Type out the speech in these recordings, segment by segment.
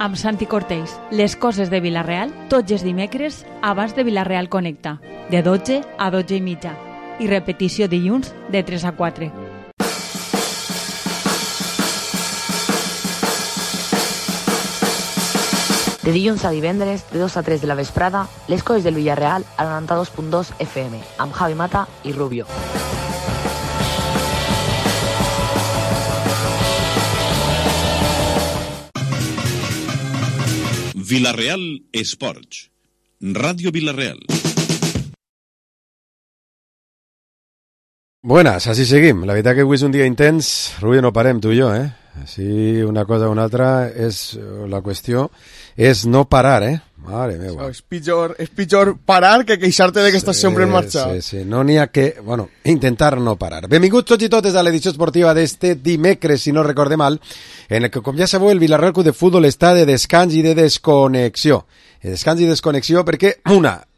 amb Santi Cortells. Les coses de Vila-real, tots els dimecres, abans de Vila-real Connecta, de 12 a 12 i mitja. I repetició dilluns, de 3 a 4. De dilluns a divendres, de 2 a 3 de la vesprada, les coses del Villarreal al 92.2 FM, amb Javi Mata i Rubio. Vila-real Esports. Radio Vila-real. Buenas, així seguim. La veritat que avui és un dia intens. Rubio, no parem, tu i jo, eh? Així, una cosa o una altra, és la qüestió és no parar, eh? Mare meva. És pitjor parar que queixar-te de que estàs sempre en marxa. Sí. No n'hi ha que, bueno, intentar no parar. Benvinguts tots i totes a l'edició esportiva d'este dimecres, si no recorde mal, en el que, com ja sabeu, el Vila-real Club de Futbol està de descans i de desconnexió. Descans i desconnexió perquè,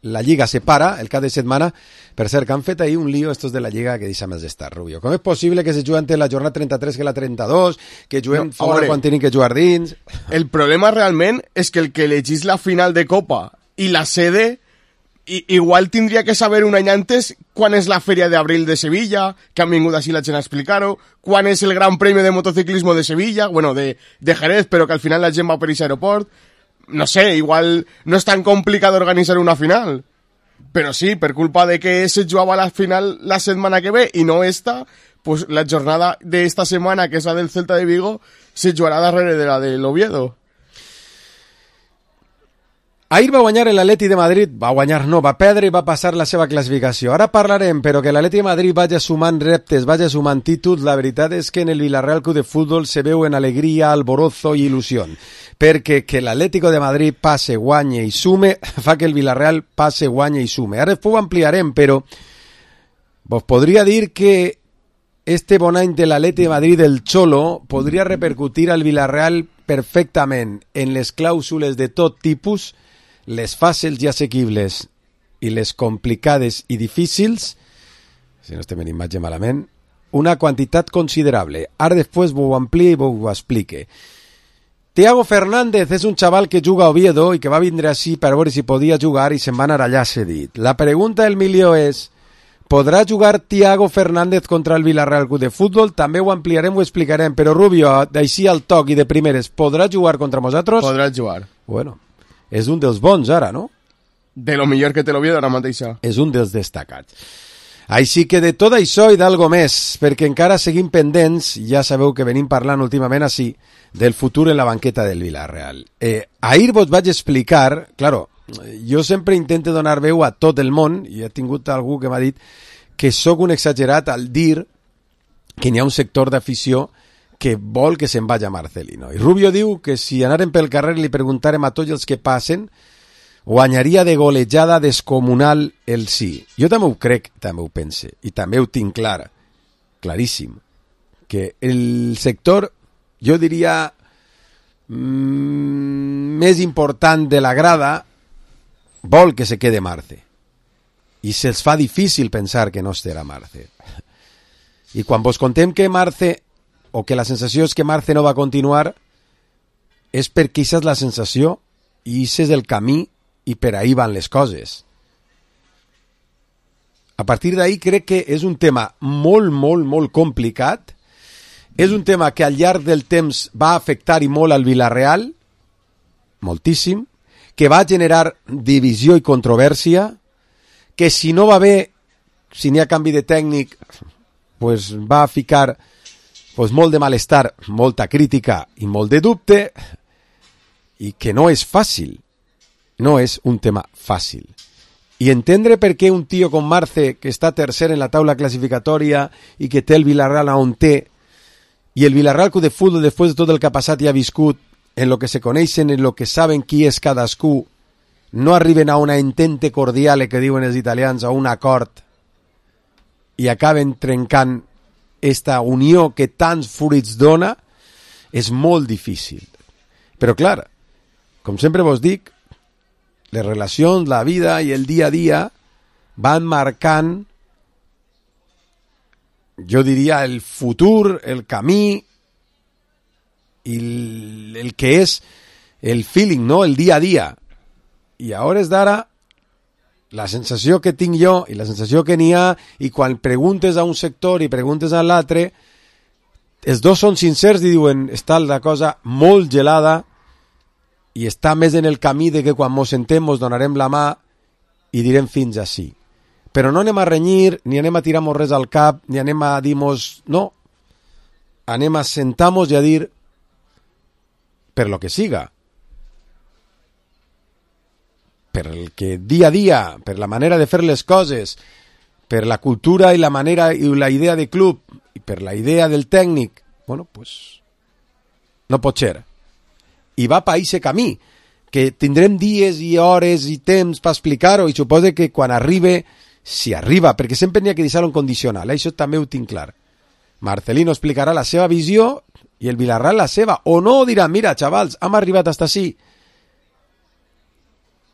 la Lliga se para el cap de setmana. Per cert, que han fet ahir un lío estos de la Lliga que deixa més d'estar, Rubio. Com és possible que se jugui entre la jornada 33 que la 32, que juguem fora quan tenim que jugar dins? El problema realment és que el que elegís la final de Copa i la sede igual tindria que saber un any antes quan és la Feria d'Abril de Sevilla, que han vingut així la gent a explicar-ho, quan és el Gran Premi de Motociclismo de Sevilla, bueno, de Jerez, però que al final la gent va per aquest aeroport. No sé, igual no és tan complicat organitzar una final. Però sí, per culpa de que se jugava la final la setmana que ve i no esta, pues la jornada d'esta setmana, que és la del Celta de Vigo, se jugarà darrere de la de l'Oviedo. Ahir va guanyar l'Atleti de Madrid, va perdre i va passar la seva classificació. Ara parlarem, però que l'Atleti de Madrid vagi sumant reptes, vagi sumant títols, la veritat és que en el Villarreal Club de Futbol se veu en alegria, alborozo i il·lusió. Perquè que l'Atlético de Madrid passe, guanye i sume, fa que el Villarreal passe, guanye i sume. Ara després ho ampliarem, però vos podria dir que este bon any de l'Atleti de Madrid del Cholo podria repercutir al Villarreal perfectament en les clàusules de tot tipus, les fàcils i assequibles i les complicades i difícils, si no estem en imatge malament, una quantitat considerable. Ara després ho amplia i ho explique. Thiago Fernández és un xaval que juga a Oviedo i que va vindre així per veure si podia jugar i se'n va anar allà cedit. La pregunta del milió és: podrà jugar Thiago Fernández contra el Villarreal Club de Futbol? També ho ampliarem, ho explicarem, però Rubio, d'així al toc i de primeres, podrà jugar contra nosaltres? Podrà jugar. Bueno, és un dels bons ara, no? De lo millor que té l'Oviedo ara mateixa. És un dels destacats. Així que de tot això i d'algo més, perquè encara seguim pendents, ja sabeu que venim parlant últimament així, del futur en la banqueta del Villarreal. Ahir vos vaig explicar, claro, jo sempre intento donar veu a tot el món, i he tingut algú que m'ha dit que sóc un exagerat al dir que n'hi ha un sector d'afició que vol que se'n vagi a Marcelino. I Rubio diu que si anàrem pel carrer i li preguntarem a tots els que passen, guanyaria de golejada descomunal el sí. Jo també ho crec, també ho pense, i també ho tinc clar, claríssim, que el sector, jo diria, més important de la grada, vol que se quede Marce. I se'ls fa difícil pensar que no estarà Marce. I quan vos contem que Marce, o que la sensació és que Marce no va continuar, és perquè aquesta és la sensació i aquest és el camí i per ahí van les coses. A partir d'ahí crec que és un tema molt complicat, és un tema que al llarg del temps va afectar i molt al Villarreal, moltíssim, que va generar divisió i controvèrsia, que si no va bé, si n'hi ha canvi de tècnic, pues va ficar pues molt de malestar, molta crítica i molt de dubte, i que no és fàcil, no és un tema fàcil. I entendre per què un tio com Marce, que està tercer en la taula classificatòria i que té el Villarreal on té, i el Villarreal Club de Futbol, després de tot el que ha passat i ha viscut, en lo que se coneixen, en lo que saben qui és cadascú, no arriben a una entente cordiale, que diuen els italians, a un acord, i acaben trencant esta unió que tants fruits dona, és molt difícil. Però clar, com sempre vos dic, les relacions, la vida i el dia a dia van marcant, jo diria, el futur, el camí i el que és el feeling, no? El dia a dia. I a hores d'ara, la sensació que tinc jo i la sensació que n'hi ha, i quan preguntes a un sector i preguntes a l'altre, els dos són sincers i diuen està la cosa molt gelada i està més en el camí de que quan mos sentem mos donarem la mà i direm fins ací. Però no anem a renyir, ni anem a tirar-mos res al cap, ni anem a dir-mos... No. Anem a sentar-mos i a dir per lo que siga. Per el que dia a dia, per la manera de fer les coses, per la cultura i la manera i la idea de club, i per la idea del tècnic, bueno, pues no pot ser. I va per aquest camí, que tindrem dies i hores i temps per explicar-ho, i suposo que quan arribi, si arriba, perquè sempre n'hi ha que deixar-ho en condicional, això també ho tinc clar. Marcelino explicarà la seva visió i el Villarreal la seva, o no dirà, mira, xavals, hem arribat fins ací.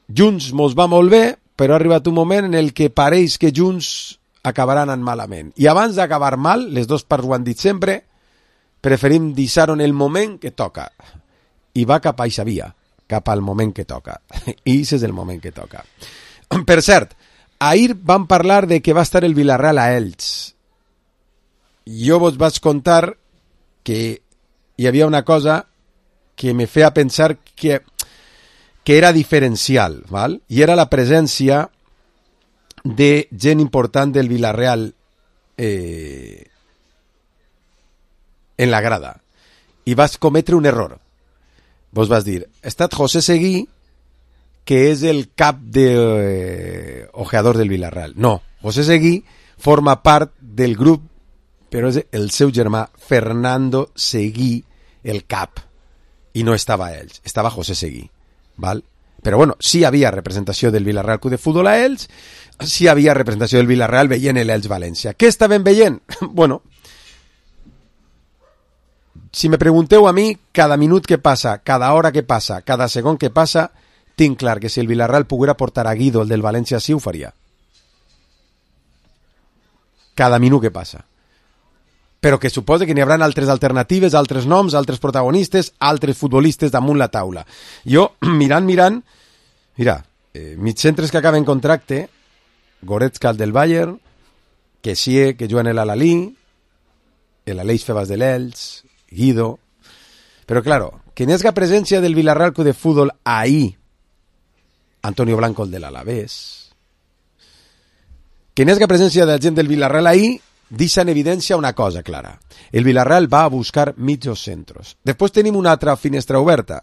Junts mos va molt bé, però ha arribat un moment en el que pareix que Junts acabaran anant malament. I abans d'acabar mal, les dues parts ho han dit sempre, preferim deixar-ho en el moment que toca. I va cap a eixa via, cap al moment que toca. I aquest és el moment que toca. Per cert, ahir vam parlar de que va estar el Villarreal a Elx. Jo vos vaig contar que hi havia una cosa que me feia pensar que era diferencial, ¿val? I era la presència de gent important del Villarreal en la grada. I vas cometre un error. Vos vas dir, ha estat José Seguí, que és el cap de ojeador del Villarreal. No, José Seguí forma part del grup, però és el seu germà Fernando Seguí, el cap. I no estava ells, estava José Seguí. ¿Val? Però bueno, sí hi havia representació del Villarreal Club de Futbol a Elx, sí hi havia representació del Villarreal veient l'Elx València. Què estaven veient? Bueno, si me pregunteu a mi, cada minut que passa, cada hora que passa, cada segon que passa, tinc clar que si el Villarreal poguera portar a Guido, el del València, sí ho faria. Cada minut que passa. Però que suposa que n'hi haurà altres alternatives, altres noms, altres protagonistes, altres futbolistes damunt la taula. Jo, mirant, mira, mitjantres que acaben contracte, Goretzka, el del Bayern, que sí, que juguen l'Alí, l'Aleix Febas de l'Elx, Guido... Però, claro, que n'hi ha presència del Villarreal Club de Futbol ahí, Antonio Blanco, el de l'Alavés, que n'hi ha presència de la gent del Villarreal ahí, deixa en evidència una cosa clara. El Villarreal va a buscar mitjos centros. Després tenim una altra finestra oberta.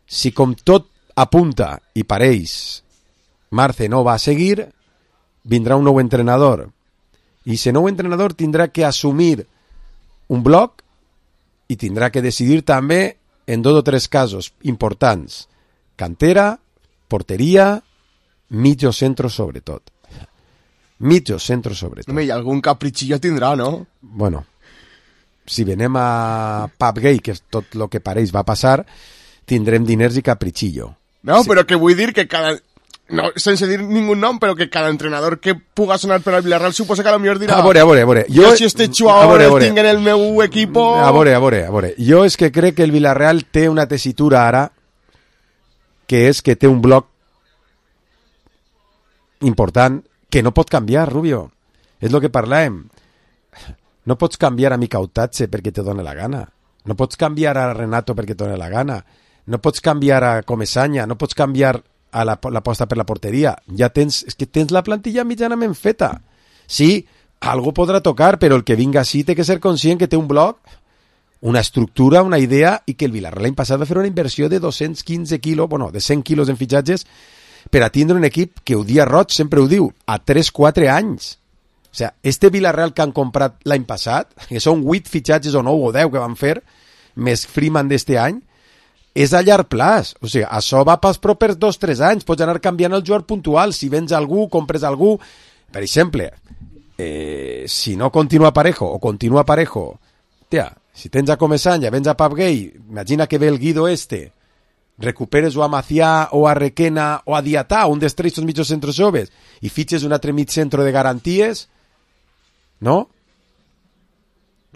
Si com tot apunta i pareix Marce no va a seguir, vindrà un nou entrenador. I ese nou entrenador tindrà que assumir un bloc i tindrà que decidir també en 2 o 3 casos importants. Cantera, porteria, mitjos centros sobretot. Mitjos centros sobretot. Home, i algun capritxillo tindrà, no? Bueno, si venem a Pub Gay, que és tot el que pareix va passar, tindrem diners i capritxillo. No, sí. Però que vull dir que cada... No, sense dir ningú nom, però que cada entrenador que puga sonar per al Villarreal suposa que a lo millor dirà... A veure. Jo si este jugador el tinc en el meu equipo... A veure. Jo és que crec que el Villarreal té una tessitura ara que és que té un bloc important que no pot canviar, Rubio. És el que parlàvem. No pots canviar a Micautatge perquè te dona la gana. No pots canviar a Renato perquè te dona la gana. No pots canviar a Comesaña. No pots canviar a l'aposta per la porteria. Ja tens... És que tens la plantilla mitjanament feta. Sí, algú podrà tocar, però el que vinga així té que ser conscient que té un bloc, una estructura, una idea, i que el Villarreal l'any passat va fer una inversió de 215 quilos, bueno, de 100 quilos en fitxatges, per a tindre un equip que ho dia Roig sempre ho diu, a 3-4 anys. O sigui, este Villarreal que han comprat l'any passat, que són 8 fitxatges o 9 o 10 que van fer, més Freeman d'este any, és a llarg plaç. O sigui, això va pels propers 2-3 anys. Pots anar canviant el jugador puntual. Si vens algú, compres algú. Per exemple, si no continua Parejo o continua Parejo, tia, si tens a Comesaña, vens a Pub Gay, imagina que ve el Guido este, recuperes o a Macià o a Requena o a Diatà, un dels 3 mitjos centros joves, i fitxes un altre mig centro de garanties, no?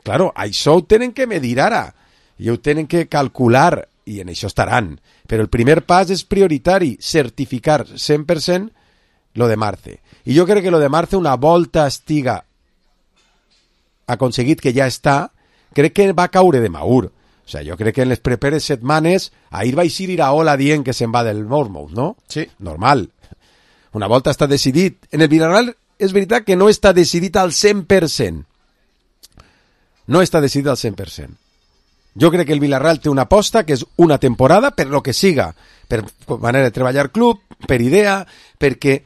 Claro, això ho tenen que medir ara, i ho tenen que calcular i en això estaran. Però el primer pas és prioritari, certificar 100% lo de Marce. I jo crec que lo de Marce, una volta estiga aconseguit que ja està, crec que va caure de maur. O sea, jo crec que en les properes setmanes ahir vaig ir Iraola dient que se'n va del Bournemouth, no? Sí. Normal. Una volta està decidit. En el Villarreal és veritat que no està decidit al 100%. No està decidit al 100%. Jo crec que el Villarreal té una aposta que és una temporada per lo que siga, per manera de treballar club, per idea, perquè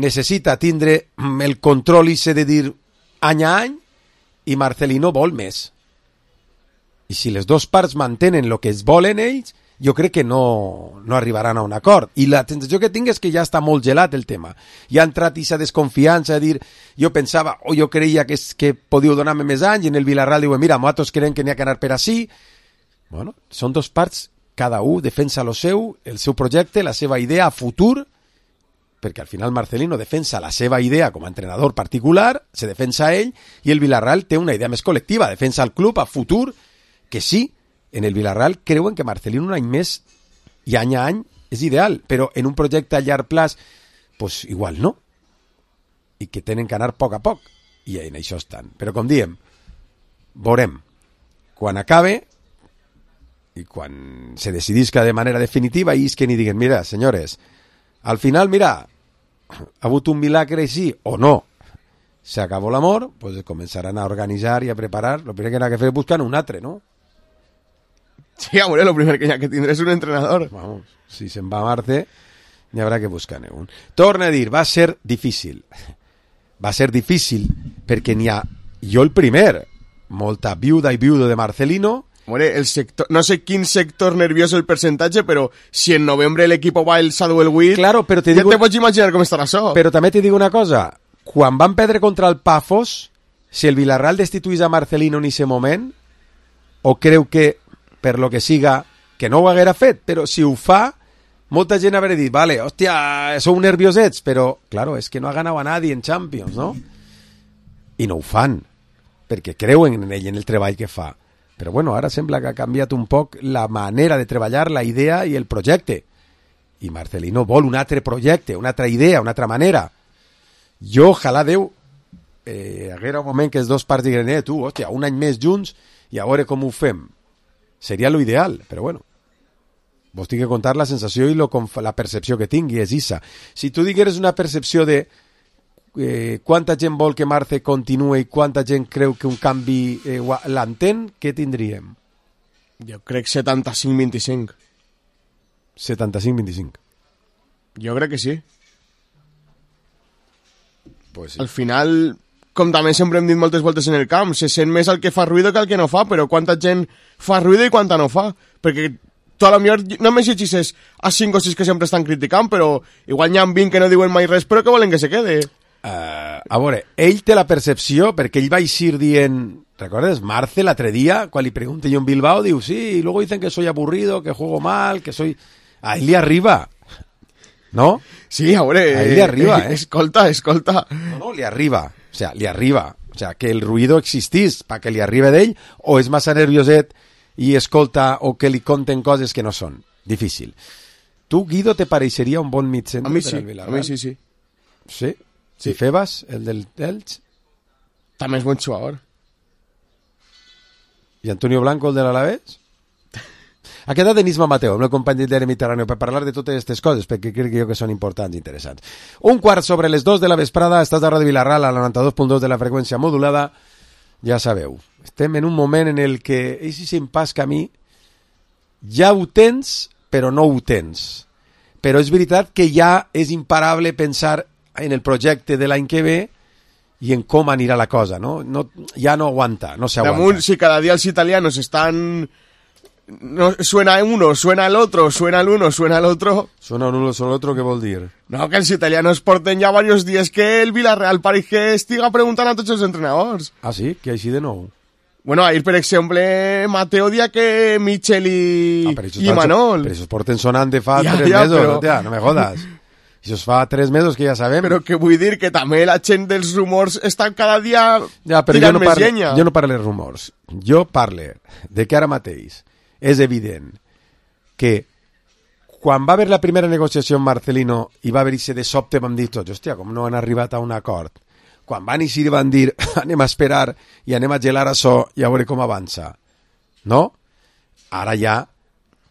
necessita tindre el control i de dir any a any, i Marcelino vol més. I si les dues parts mantenen el que es volen ells, jo crec que no arribaran a un acord. I la sensació que tinc és que ja està molt gelat el tema. Ja ha entrat aquesta desconfiança de dir, jo pensava, o jo creia que podíeu donar-me més anys, i en el Villarreal diuen, mira, nosaltres creiem que n'hi ha que anar per ací. Bueno, són dos parts, cada un defensa el seu projecte, la seva idea a futur, perquè al final Marcelino defensa la seva idea com a entrenador particular, se defensa ell, i el Villarreal té una idea més col·lectiva, defensa el club a futur, que sí, en el Villarreal creuen que Marcelino un any més i any a any és ideal, però en un projecte a llarg plaç, pues igual no. I que tenen que anar a poc, i en això estan. Però com diem, veurem. Quan acabe, i quan se decidisca de manera definitiva, i és que ni diguen, mira, senyores, al final, mira, ha hagut un milagre així, o no, se acabó l'amor, pues començaran a organitzar i a preparar, lo primer que n'ha que fer és buscar un altre, no? Sí, amor, lo primer que hi ha que tindre és un entrenador. Vamos, si se'n va a Marce, n'hi haurà que buscar-ne un. Torna a dir, va ser difícil. Va ser difícil perquè n'hi ha, jo el primer, molta viuda i viudo de Marcelino. Hombre, el sector, no sé quin sector nervioso el percentatge, però si en novembre el equipo va el Sadwell Witt, claro, però ja te pots imaginar com estarà això. Però també te dic una cosa, quan van perdre contra el Pafos, si el Villarreal destituís a Marcelino en aquest moment, o creu que per lo que siga, que no ho haguera fet, però si ho fa, molta gent haurà dit, vale, hòstia, sou nerviosets, però, claro, és que no ha ganat a nadie en Champions, no? I no ho fan, perquè creuen en ell, en el treball que fa. Però bueno, ara sembla que ha canviat un poc la manera de treballar, la idea i el projecte. I Marcelino vol un altre projecte, una altra idea, una altra manera. Jo, ojalà Déu, haguera un moment que els dos parts diguin, tu, hòstia, un any més junts i a veure com ho fem. Seria lo ideal, però bueno, vos tinc que contar la sensació i la percepció que tingui, és issa. Si tu digueres una percepció de quanta gent vol que Marce continuï i quanta gent creu que un canvi l'entén, què tindríem? Jo crec 75-25. 75-25. Jo crec que sí. Pues sí. Al final, com també sempre hem dit moltes voltes en el camp, se sent més el que fa ruïdo que el que no fa, però quanta gent fa ruïdo i quanta no fa. Perquè tu a lo millor només llegis a 5 o 6 que sempre estan criticant, però igual n'hi ha 20 que no diuen mai res, però que volen que se quede. A veure, ell té la percepció, perquè ell va eixir dient, ¿recuerdas? Marce l'altre dia, quan li pregunte jo en Bilbao, diu, sí, y luego dicen que soy aburrido, que juego mal, que soy... A ell li arriba, ¿no? Sí, a veure... A ell li arriba, Escolta. No, li arriba, o sea, li arriba. O sea, que el ruïdo existís pa que li arriba d'ell, o és massa nervioset i escolta o que li conten coses que no són. Difícil. Tu, Guido, te pareixeria un bon mitjent? A mi sí, sí. Sí? Si Febas, el del Elx? També és bon jugador. I Antonio Blanco, el de l'Alavés? Ha quedat Denisma Mateo, amb el company del Mediterráneo, per parlar de totes aquestes coses, perquè crec que són importants i interessants. 1:15 de la vesprada, estàs a Ràdio Vilarreal, a la 92.2 de la freqüència modulada. Ja sabeu, estem en un moment en el que aquest impàs camí ja ho tens, però no ho tens. Però és veritat que ja és imparable pensar en el projecte de l'any que ve i en com anirà la cosa, no? Ja no aguanta, no s'aguanta. Damunt, si cada dia els italianos están... No, suena uno, suena el otro, suena el uno, suena el otro. Suena uno, suena el otro, què vol dir? No, que els italianos porten ja varios días que el Villarreal pareix que estiga preguntant a tots els entrenadors. Ah, sí? Que així de nou? Bueno, ahir, per exemple, Mateo dia que Michel i Manol. Però això porten sonant de fa 3 mesos, però... tia, no me jodas. Això fa 3 mesos que ja sabem. Però que vull dir que també la gent dels rumors està cada dia tirant més llenya. Jo no parlo de rumors. Jo parlo de que ara mateix és evident que quan va haver la primera negociació amb Marcelino i va haver-hi de sobte, vam dir tots, hòstia, com no han arribat a un acord. Quan van eixir van dir, anem a esperar i anem a gelar això i a veure com avança. No? Ara ja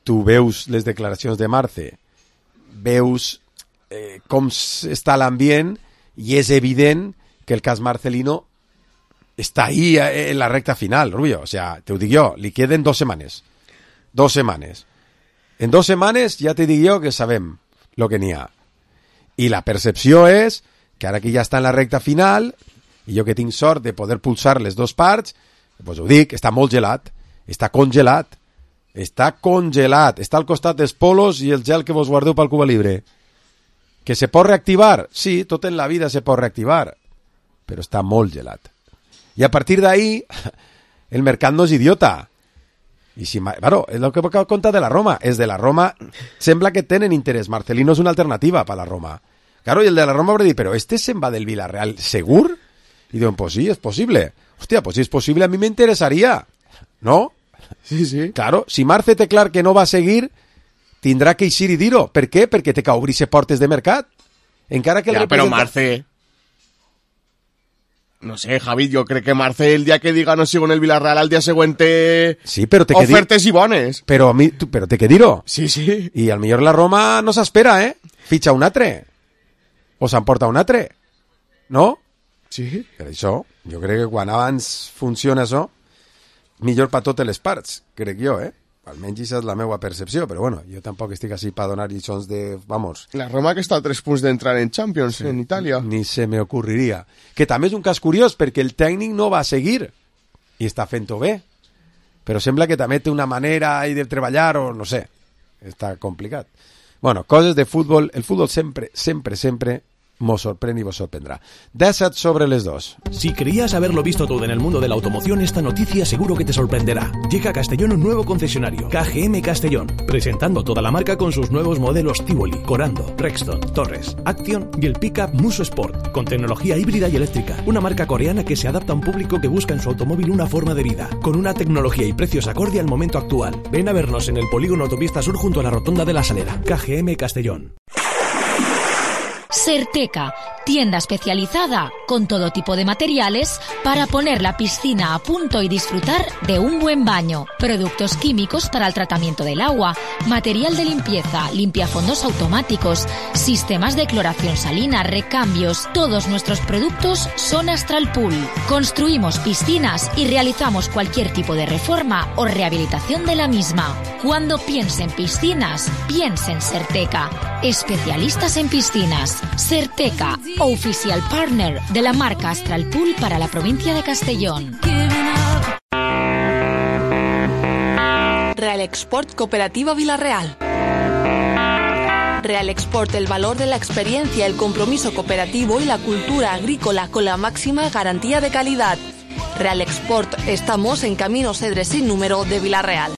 tu veus les declaracions de Marce, veus com està l'ambient i és evident que el cas Marcelino està ahí en la recta final, Rubio. O sea, te ho dic jo, li queden 2 setmanes. 2 setmanes. En 2 setmanes ja te dic jo que sabem lo que n'hi ha. I la percepció és que ara que ja està en la recta final, i jo que tinc sort de poder pulsar les 2 parts, pues ho dic, està molt gelat, està congelat, està al costat dels polos i el gel que vos guardeu pel Cuba Libre. Que se pot reactivar? Sí, tot en la vida se pot reactivar, però està molt gelat. I a partir d'ahí, el mercat no és idiota. I si, bueno, és el que conta de la Roma. És de la Roma, sembla que tenen interès. Marcelino és una alternativa per la Roma. Claro, y el de la Roma habrá dicho, pero ¿este se'n va del Villarreal segur? Y digo, pues sí, es posible. Hostia, pues si es posible, a mí me interesaría. ¿No? Sí, sí. Claro, si Marce té clar que no va a seguir, tindrà que eixir i dir-ho. Per què? Perquè té que obrir-se portes de mercat. Encara que ja, però Marce... No sé, Javi, jo crec que Marce el dia que diga no sigo en el Villarreal al dia següent té sí, però té ofertes i bones. Però té que dir-ho. Sí, sí. I al millor la Roma no s'espera, Fitxa un altre. O s'emporta un altre. No? Sí. Per això, jo crec que quan abans funciona això, millor per totes les parts, crec jo, Almenys això és la meva percepció, però bueno, jo tampoc estic així per donar lliçons de... Vamos. La Roma que està a 3 punts d'entrar en Champions, sí, en Itàlia. Ni se me ocurriria. Que també és un cas curiós, perquè el tècnic no va seguir, i està fent-ho bé. Però sembla que també té una manera de treballar, o no sé, està complicat. Bueno, coses de futbol, el futbol sempre nos sorprende y vos sorprendrá. 17 sobre les 2. Si creías haberlo visto todo en el mundo de la automoción, esta noticia seguro que te sorprenderá. Llega a Castellón un nuevo concesionario, KGM Castellón, presentando toda la marca con sus nuevos modelos Tivoli, Corando, Rexton, Torres, Action y el pickup Muso Sport, con tecnología híbrida y eléctrica. Una marca coreana que se adapta a un público que busca en su automóvil una forma de vida, con una tecnología y precios acorde al momento actual. Ven a vernos en el polígono Autopista Sur junto a la rotonda de la Salera. KGM Castellón. Certeca, tienda especializada con todo tipo de materiales para poner la piscina a punto y disfrutar de un buen baño. Productos químicos para el tratamiento del agua, material de limpieza, limpiafondos automáticos, sistemas de cloración salina, recambios. Todos nuestros productos son Astral Pool. Construimos piscinas y realizamos cualquier tipo de reforma o rehabilitación de la misma. Cuando piense en piscinas, piense en Certeca. Especialistas en piscinas. Certeca, oficial partner de la marca Astral Pool para la provincia de Castellón. Real Export Cooperativa Villarreal. Real Export, el valor de la experiencia, el compromiso cooperativo y la cultura agrícola con la máxima garantía de calidad. Real Export, estamos en Camino Cedres sin número de Villarreal.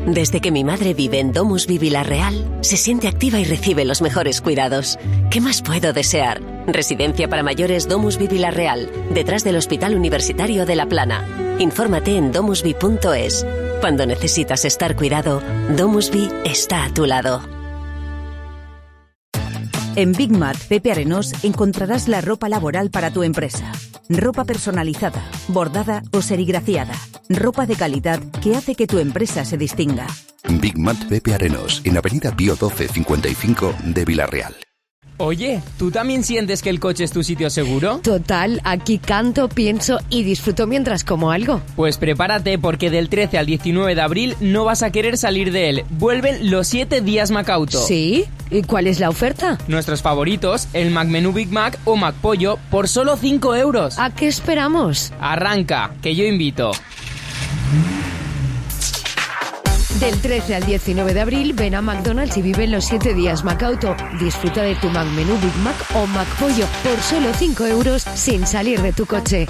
Desde que mi madre vive en DomusVi Villarreal, se siente activa y recibe los mejores cuidados. ¿Qué más puedo desear? Residencia para mayores DomusVi Villarreal, detrás del Hospital Universitario de La Plana. Infórmate en domusvi.es. Cuando necesitas estar cuidado, DomusVi está a tu lado. En Big Mat Pepe Arenós encontrarás la ropa laboral para tu empresa. Ropa personalizada, bordada o serigrafiada. Ropa de calidad que hace que tu empresa se distinga. Big Mat Pepe Arenós, en Avenida Pío 1255 de Villarreal. Oye, ¿tú también sientes que el coche es tu sitio seguro? Total, aquí canto, pienso y disfruto mientras como algo. Pues prepárate porque del 13 al 19 de abril no vas a querer salir de él. Vuelven los 7 días Macauto. ¿Sí? ¿Y cuál es la oferta? Nuestros favoritos, el McMenú Big Mac o McPollo por solo 5 euros. ¿A qué esperamos? Arranca, que yo invito. Del 13 al 19 de abril, ven a McDonald's y vive los 7 días Macauto. Disfruta de tu McMenú Big Mac o McPollo por solo 5 euros sin salir de tu coche.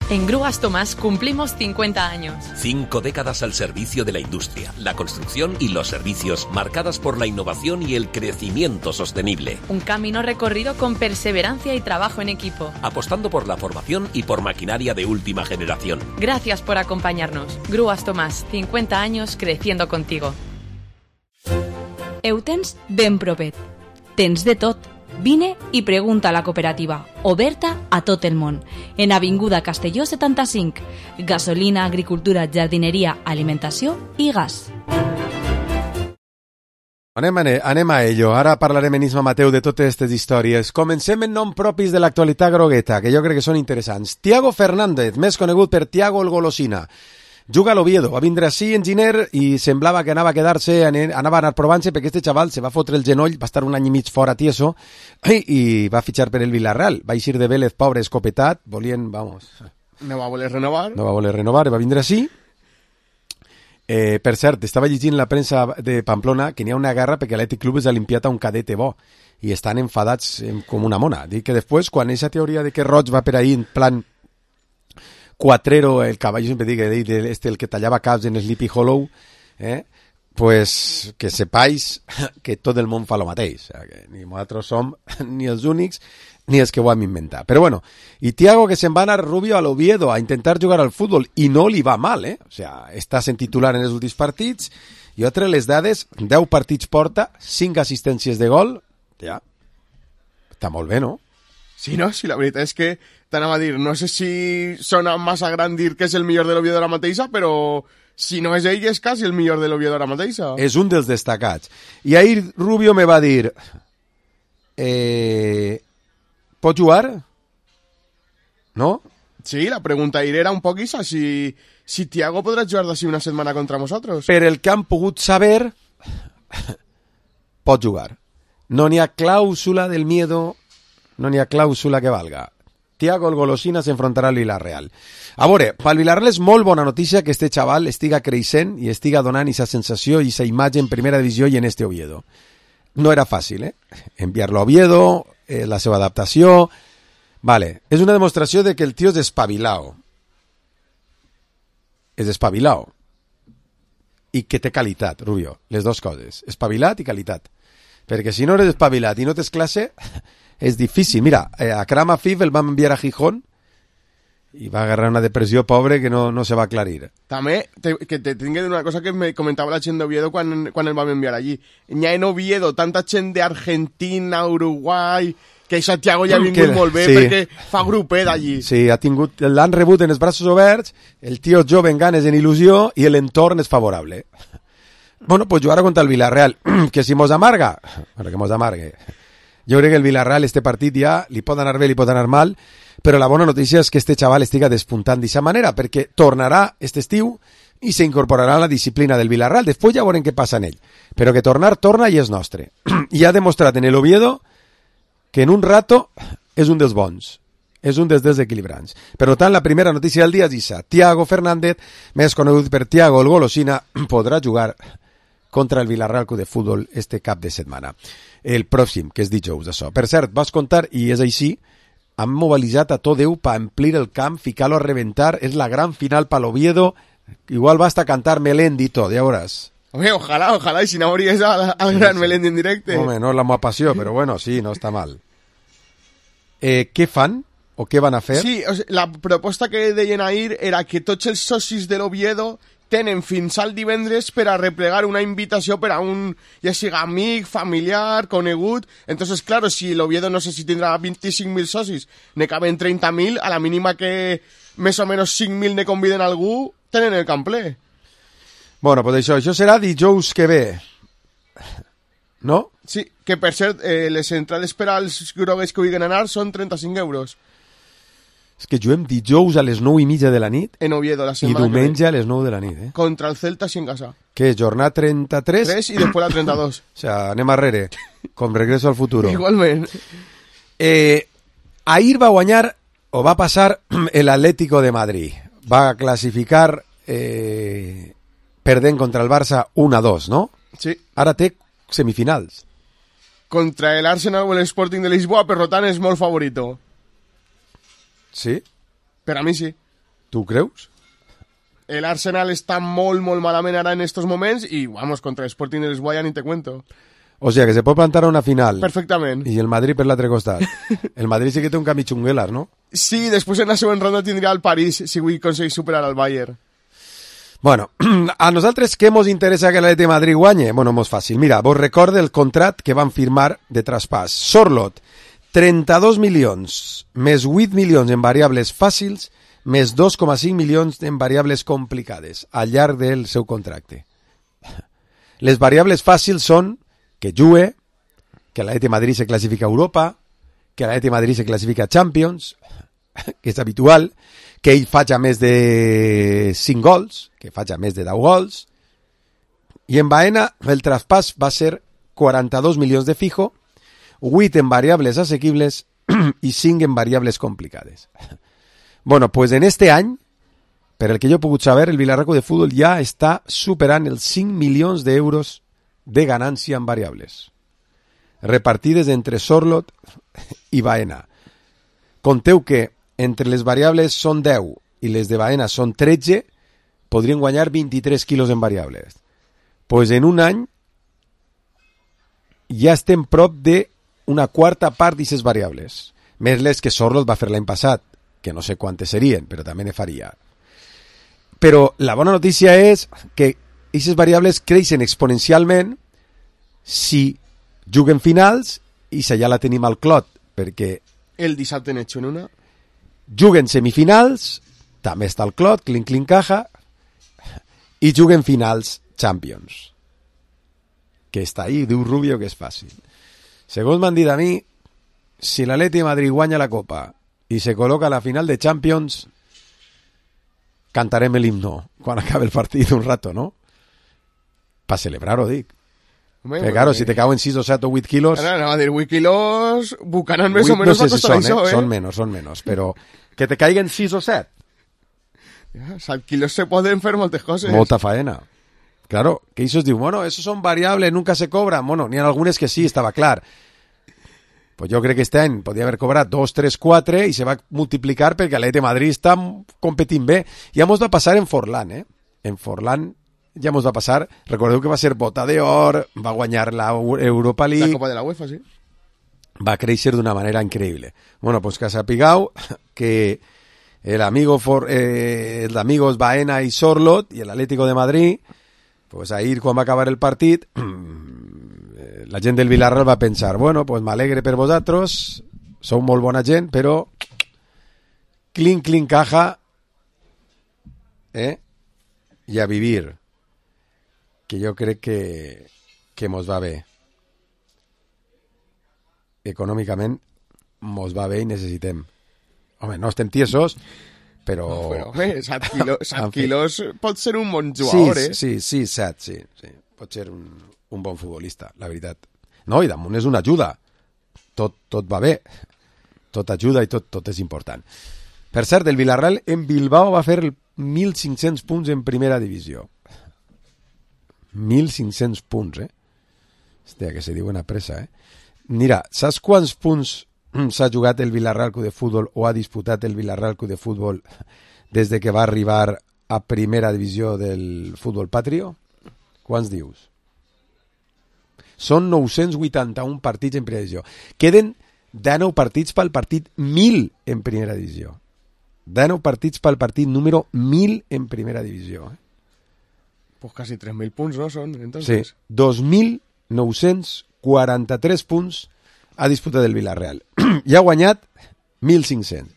En Grúas Tomás cumplimos 50 años. 5 décadas al servicio de la industria, la construcción y los servicios, marcadas por la innovación y el crecimiento sostenible. Un camino recorrido con perseverancia y trabajo en equipo. Apostando por la formación y por maquinaria de última generación. Gracias por acompañarnos. Grúas Tomás, 50 años creciendo contigo. Eutens ben propet. Tens de tot. Vine i pregunta a la cooperativa, oberta a tot el món, en Avinguda Castelló 75, gasolina, agricultura, jardineria, alimentació i gas. Anem a ello. Ara parlarem en Isma Mateu de totes aquestes històries. Comencem en nom propis de l'actualitat grogueta, que jo crec que són interessants. Tiago Fernández, més conegut per Tiago el Golosina. Juga a l'Oviedo, va vindre així enginyer i semblava que anava a quedar-se, anava a anar provant-se perquè este xaval se va fotre el genoll, va estar un any i mig fora tieso i va fitxar per el Villarreal. Va eixir de Vélez, pobre, escopetat, volien, vamos... No va voler renovar. No va voler renovar, va vindre així. Per cert, estava llegint la premsa de Pamplona que n'hi ha una guerra perquè l'Atlètic Club és limpiat a un cadete bo i estan enfadats com una mona. Dic que després, quan aquesta teoria de que Roig va per ahí en plan... Cuatrero, el caballo, siempre digo, el que tallaba caps en Sleepy Hollow, pues que sepáis que tot el món fa lo mateix. O sea, que ni nosaltres som ni els únics ni els que ho hem inventat. Però bueno, i Tiago que se'n va anar Rubio a l'Oviedo a intentar jugar al futbol i no li va mal, O sea, està sent titular en els últims partits. Jo trec les dades, 10 partits porta, 5 assistències de gol, ja, està molt bé, no? Sí, no? Sí, la veritat és que t'anava a dir, no sé si sona massa gran dir que és el millor de l'Oviedo ara mateixa, però si no és ell és quasi el millor de l'Oviedo ara mateixa. És un dels destacats. I ahir Rubio me va dir, pot jugar? No? Sí, la pregunta ahir era un poc isa, si Tiago podrà jugar d'ací una setmana contra nosaltres. Per el que han pogut saber, pot jugar. No n'hi ha clàusula del miedo... No n'hi ha clàusula que valga. Tiago el Golosina s'enfrontarà al Villarreal. A veure, pel Villarreal és molt bona notícia que este xaval estiga creixent i estiga donant aquesta sensació i aquesta imatge en primera divisió i en este Oviedo. No era fàcil, enviar-lo a Oviedo, la seva adaptació... Vale, és una demostració de que el tio és espavilao. És espavilao. I que té qualitat, Rubio. Les dues coses. Espavilat i qualitat. Perquè si no eres espavilat i no tens classe... És difícil. Mira, a Kram Afif el vam enviar a Gijón i va agarrar una depressió pobre que no se va aclarir. També, que te tinc una cosa que me comentava la gent d'Oviedo quan el vam enviar allí. N'hi ha en Oviedo tanta gent d'Argentina, Uruguai, que això Tiago ja ha vingut molt bé, sí, perquè fa grupet allí. Sí, l'han rebut en els braços oberts, el tio jove en ganes, en il·lusió, i l'entorn és favorable. Bueno, pues jugar contra el Villarreal, que si mos amarga, bueno, que mos amargue. Jo crec que el Villarreal, este partit ja, li pot anar bé, li pot anar mal, però la bona notícia és que este xaval estiga despuntant d'aquesta manera, perquè tornarà este estiu i s'incorporarà a la disciplina del Villarreal. Després ja veurem què passa en ell. Però que torna i és nostre. I ha demostrat en el Oviedo que en un rato és un dels bons. És un dels desequilibrants. Per tant, la primera notícia del dia és això. Tiago Fernández, més conegut per Tiago el Golosina, podrà jugar contra el Villarreal Club de Futbol este cap de setmana. El pròxim, que és dijous, això. Per cert, vas contar, i és així, han mobilitzat a tot Déu per amplir el camp, ficar-lo a reventar, és la gran final per l'Oviedo, igual basta cantar Melendi i tot, ja veuràs. Home, ojalà, i si no hauries al gran Melendi en directe. Home, no és la meva passió, però bueno, sí, no està mal. Què fan? O què van a fer? Sí, o sigui, la proposta que deien ahir era que tots els socis de l'Oviedo tenen fins al divendres per a replegar una invitació per a un, ja siga amic, familiar, conegut. Entonces, claro, si l'Oviedo no sé si tindrà 25.000 socis, ne caben 30.000, a la mínima que més o menys 5.000 ne conviden a algú, tenen el camp ple. Bueno, pues això serà dijous que ve. No? Sí, que per cert, les entrades per als grogues que vulguin anar són 35 euros. És que juguem dijous a les 9:30 de la nit en Oviedo, la i diumenge a les 9 de la nit. Contra el Celta sin casa. Què, jornada 33? 3 i després la 32. O sea, anem arrere, com regreso al futuro. Igualment. Ahir va guanyar, o va passar, el Atlético de Madrid. Va classificar perdent contra el Barça 1-2, no? Sí. Ara té semifinals. Contra el Arsenal o el Sporting de Lisboa, per tant és molt favorito. Sí? Per a mi sí. Tu creus? El Arsenal está molt malament ara en estos moments y vamos, contra el Sporting de Lisboa ni te cuento. O sea, que se pot plantar a una final. Perfectament. I el Madrid per l'altre costat. El Madrid sí que té un camí xunguelas, ¿no? Sí, després en la següent ronda tindrà el París si avui aconsegueix superar al Bayern. Bueno, a nosaltres què mos interessa que l'Atleti de Madrid guanye? Bueno, mos fàcil. Mira, vos recorde el contrat que van firmar de traspàs. Sorloth, 32 milions, més 8 milions en variables fàcils, més 2,5 milions en variables complicades al llarg del seu contracte. Les variables fàcils són que jugue, que l'Atleti de Madrid se classifica a Europa, que l'Atleti de Madrid se classifica a Champions, que és habitual, que ell faci més de 5 gols, que faci més de 10 gols, i en Baena el traspàs va ser 42 milions de fijo, 8 en variables assequibles i 5 en variables complicades. Bueno, pues en este any, per el que jo he pogut saber, el Villarreal de Futbol ja està superant els 5 milions d'euros de ganància en variables, repartides entre Sorloth i Baena. Conteu que entre les variables són 10 i les de Baena són 13, podrien guanyar 23 quilos en variables. Pues en un any ja estem prop de una quarta part d'aquestes variables, més les que Sorloth va fer l'any passat, que no sé quantes serien, però també ne faria. Però la bona notícia és que aquestes variables creixen exponencialment si juguen finals i si ja la tenim al clot, perquè el dissabte n'he hecho en una. Juguen semifinals, també està al clot, clink caja, i juguen finals Champions, que està ahí, diu Rubio que és fàcil. Segons m'han dit a mi, si l'Atleti de Madrid guanya la Copa i se col·loca a la final de Champions, cantarem l'himno quan acabe el partit un rato, ¿no? Pa celebrar-ho, dic. Perquè, claro, si te cauen 6 o 7 o 8 quilos... No, a dir, 8 quilos bucaran més o menys no sé si són, això, Són menos, però que te caiguen 6 o 7. Ja, 7 quilos se poden fer moltes coses. Molta faena. Claro, que eso diu, bueno, eso son variables, nunca se cobran. Bueno, n'hi ha algunes que sí, estava clar. Pues jo crec que este any podria haver cobrat 2, 3, 4 i se va multiplicar perquè l'Atleti de Madrid està competint bé. Ja mos va passar en Forlán, eh? En Forlán ja mos va passar. Recordeu que va ser bota d'or, va guanyar la Europa League. La Copa de la UEFA, sí. Va créixer d'una manera increïble. Bueno, pues que sapigueu que el amigos Baena y Sorloth y el Atlético de Madrid, pues ahir quan va acabar el partit, la gent del Villarreal va pensar, bueno, pues m'alegre per vosaltres, sou molt bona gent, però clink caja, i a vivir, que jo crec que mos va bé. Econòmicament mos va bé i necessitem. Home, no estem tiesos, però... No, però home, 7 quilos pot ser un bon jugador, Sí, 7, sí. Pot ser un bon futbolista, la veritat. No, i damunt és una ajuda. Tot va bé. Tot ajuda i tot és important. Per cert, el Villarreal en Bilbao va fer 1.500 punts en primera divisió. 1.500 punts, Hòstia, que se diuen a pressa, Mira, saps quants punts s'ha jugat el Villarreal Club de Futbol o ha disputat el Villarreal Club de Futbol des de que va arribar a primera divisió del futbol patrio? Quants dius? Són 981 partits en primera divisió. Queden 19 partits pel partit 1.000 en primera divisió. 19 partits pel partit número 1.000 en primera divisió. Pues casi 3.000 punts, ¿no? Són, entonces. Sí, 2.943 punts ha disputat el Villarreal. I ha guanyat 1.500.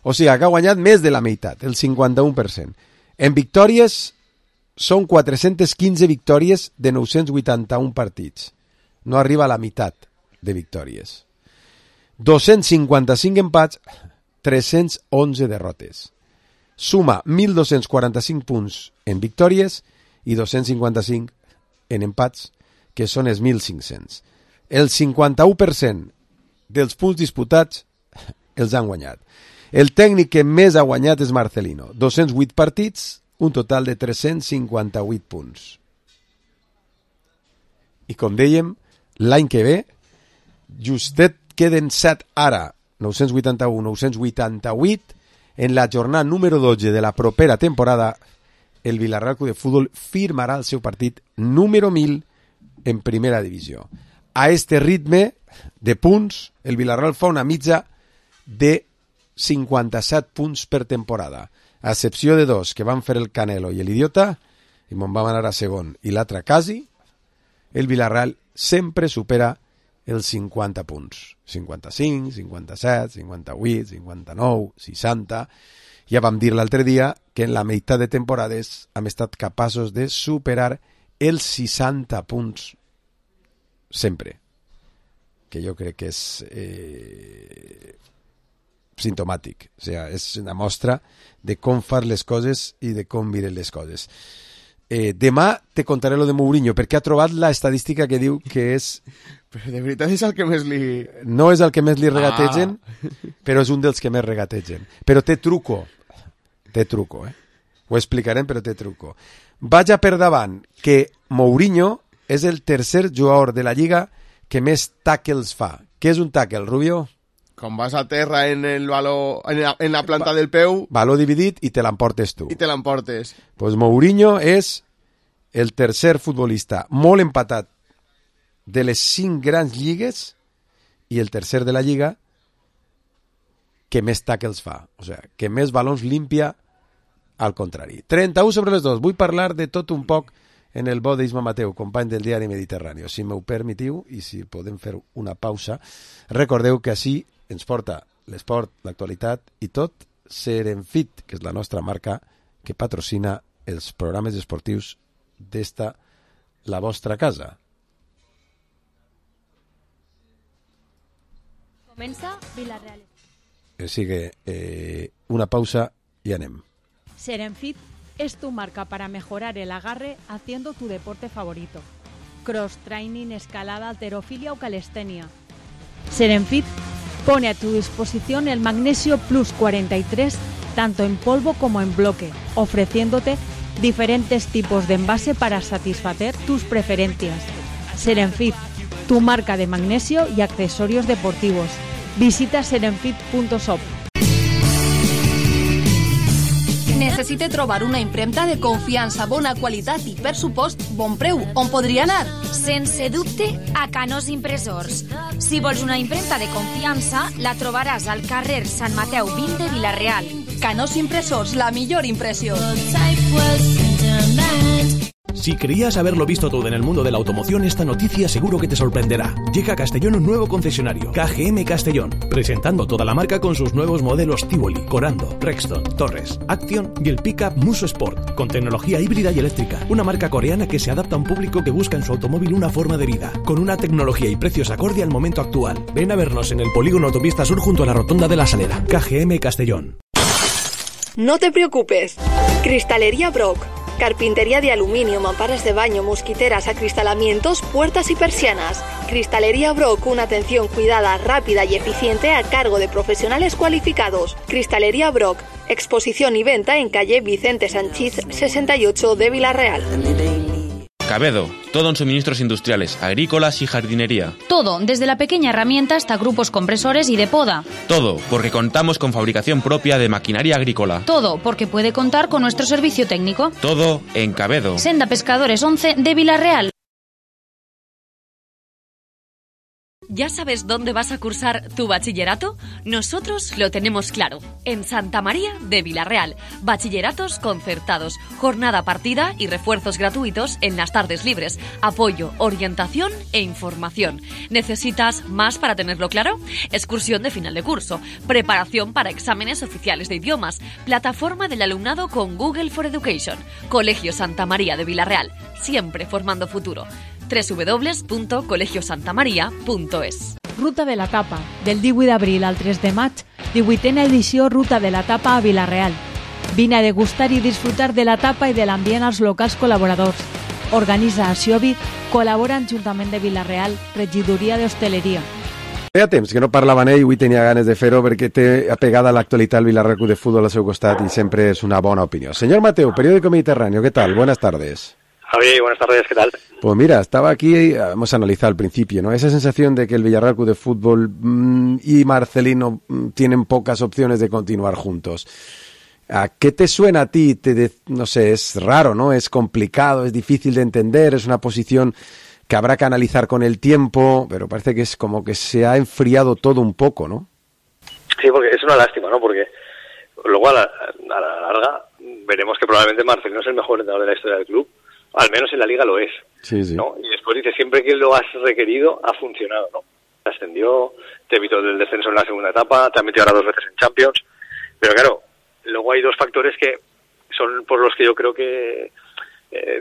O sigui, que ha guanyat més de la meitat, el 51%. En victòries, són 415 victòries de 981 partits. No arriba a la meitat de victòries. 255 empats, 311 derrotes. Suma 1.245 punts en victòries i 255 en empats, que són els 1.500. El 51% dels punts disputats els han guanyat. El tècnic que més ha guanyat és Marcelino. 208 partits, un total de 358 punts. I com dèiem, l'any que ve, justet queden 7 ara, 981, 988, en la jornada número 12 de la propera temporada, el Villarreal Club de Fútbol firmarà el seu partit número 1000 en primera divisió. A este ritme de punts, el Villarreal fa una mitja de 57 punts per temporada, a excepció de dos que van fer el Canelo i l'Idiota, i me'n vam anar a segon, i l'altre quasi, el Villarreal sempre supera els 50 punts. 55, 57, 58, 59, 60... Ja vam dir l'altre dia que en la meitat de temporades hem estat capaços de superar els 60 punts sempre. Que jo crec que és sintomàtic. O sigui, és una mostra de com far les coses i de com miren les coses. Demà te contaré lo de Mourinho, perquè ha trobat la estadística que diu que és... Però de veritat és el que més li... No és el que més li regategen, però és un dels que més regategen. Però té truco. Té truco, Ho explicarem, però té truco. Vaig a per davant que Mourinho és el tercer jugador de la Lliga que més tackles fa. Què és un tackle, Rubio? Quan vas a terra en el valor, en la planta del peu... Valor dividit i te l'emportes tu. I te l'emportes. Pues Mourinho és el tercer futbolista molt empatat de les 5 grans lligues i el tercer de la Lliga que més tackles fa. O sigui, que més balons limpia al contrari. 31 sobre les 2. Vull parlar de tot un poc en el bo d'Isma Mateu, company del diari Mediterrani. Si m'ho permetiu i si podem fer una pausa, recordeu que així ens porta l'esport, l'actualitat i tot Serenfit, que és la nostra marca que patrocina els programes esportius d'esta, la vostra casa. Comença Villarreal. Sigue una pausa y anem. Serenfit es tu marca para mejorar el agarre haciendo tu deporte favorito. Cross training, escalada, halterofilia o calistenia. Serenfit pone a tu disposición el Magnesio Plus 43 tanto en polvo como en bloque, ofreciéndote diferentes tipos de envase para satisfacer tus preferencias. Serenfit, tu marca de magnesio y accesorios deportivos. Visita serenfit.shop. Necessite trobar una impremta de confiança, bona qualitat i, per supost, bon preu. On podria anar? Sense dubte, a Canós Impressors. Si vols una impremta de confiança, la trobaràs al carrer Sant Mateu 20 de Vila-real. Canós Impressors, la millor impressió. Si creías haberlo visto todo en el mundo de la automoción, esta noticia seguro que te sorprenderá. Llega a Castellón un nuevo concesionario, KGM Castellón, presentando toda la marca con sus nuevos modelos Tivoli, Corando, Rexton, Torres, Action y el pickup Muso Sport, con tecnología híbrida y eléctrica. Una marca coreana que se adapta a un público que busca en su automóvil una forma de vida, con una tecnología y precios acorde al momento actual. Ven a vernos en el polígono Autopista Sur junto a la Rotonda de la Salera. KGM Castellón. No te preocupes. Cristalería Brock. Carpintería de aluminio, mamparas de baño, mosquiteras, acristalamientos, puertas y persianas. Cristalería Brock, una atención cuidada, rápida y eficiente a cargo de profesionales cualificados. Cristalería Brock, exposición y venta en calle Vicente Sanchís 68 de Vila-real. Cabedo, todo en suministros industriales, agrícolas y jardinería. Todo, desde la pequeña herramienta hasta grupos compresores y de poda. Todo, porque contamos con fabricación propia de maquinaria agrícola. Todo, porque puede contar con nuestro servicio técnico. Todo en Cabedo. Senda Pescadores 11 de Vila-real. ¿Ya sabes dónde vas a cursar tu bachillerato? Nosotros lo tenemos claro. En Santa María de Vila-real. Bachilleratos concertados, jornada partida y refuerzos gratuitos en las tardes libres. Apoyo, orientación e información. ¿Necesitas más para tenerlo claro? Excursión de final de curso. Preparación para exámenes oficiales de idiomas. Plataforma del alumnado con Google for Education. Colegio Santa María de Vila-real. Siempre formando futuro. www.colegiosantamaria.es. Ruta de la Tapa, del 18 d'abril al 3 de maig, 18a edició Ruta de la Tapa a Vila-real. Vine a degustar i disfrutar de la tapa i de l'ambient als locals col·laboradors. Organitza Aciobi, col·labora en Ajuntament de Vila-real, Regidoria d'Hostaleria. Feia temps que no parlava amb ell, avui tenia ganes de fer-ho perquè té apegada a l'actualitat el Villarreal Club de Fútbol al seu costat i sempre és una bona opinió. Señor Mateu, periódico Mediterráneo, ¿qué tal? Buenas tardes. Javi, buenas tardes, ¿qué tal? Pues mira, estaba aquí, hemos analizado al principio, ¿no? Esa sensación de que el Villarreal Club de Fútbol y Marcelino tienen pocas opciones de continuar juntos. ¿A qué te suena a ti? No sé, es raro, ¿no? Es complicado, es difícil de entender, es una posición que habrá que analizar con el tiempo, pero parece que es como que se ha enfriado todo un poco, ¿no? Sí, porque es una lástima, ¿no? Porque luego a la larga veremos que probablemente Marcelino es el mejor entrenador de la historia del club, al menos en la Liga lo es, sí. ¿no? Y después dice, siempre que lo has requerido, ha funcionado, ¿no? Te ascendió, te evitó del descenso en la segunda etapa, te ha metido ahora 2 veces en Champions, pero claro, luego hay 2 factores que son por los que yo creo que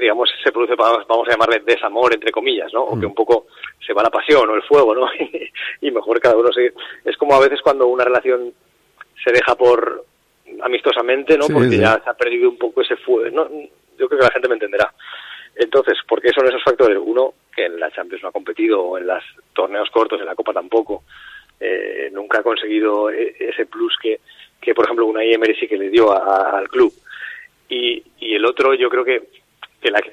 digamos, se produce, vamos a llamarle desamor, entre comillas, ¿no? O que un poco se va la pasión o el fuego, ¿no? Y mejor cada uno se... Es como a veces cuando una relación se deja por amistosamente, ¿no? Porque ya se ha perdido un poco ese fuego, ¿no? Yo creo que la gente me entenderá. Entonces, ¿por qué son esos factores? Uno, que en la Champions no ha competido, o en los torneos cortos, en la Copa tampoco. Nunca ha conseguido ese plus que por ejemplo, Unai Emery sí que le dio al club. Y el otro, yo creo que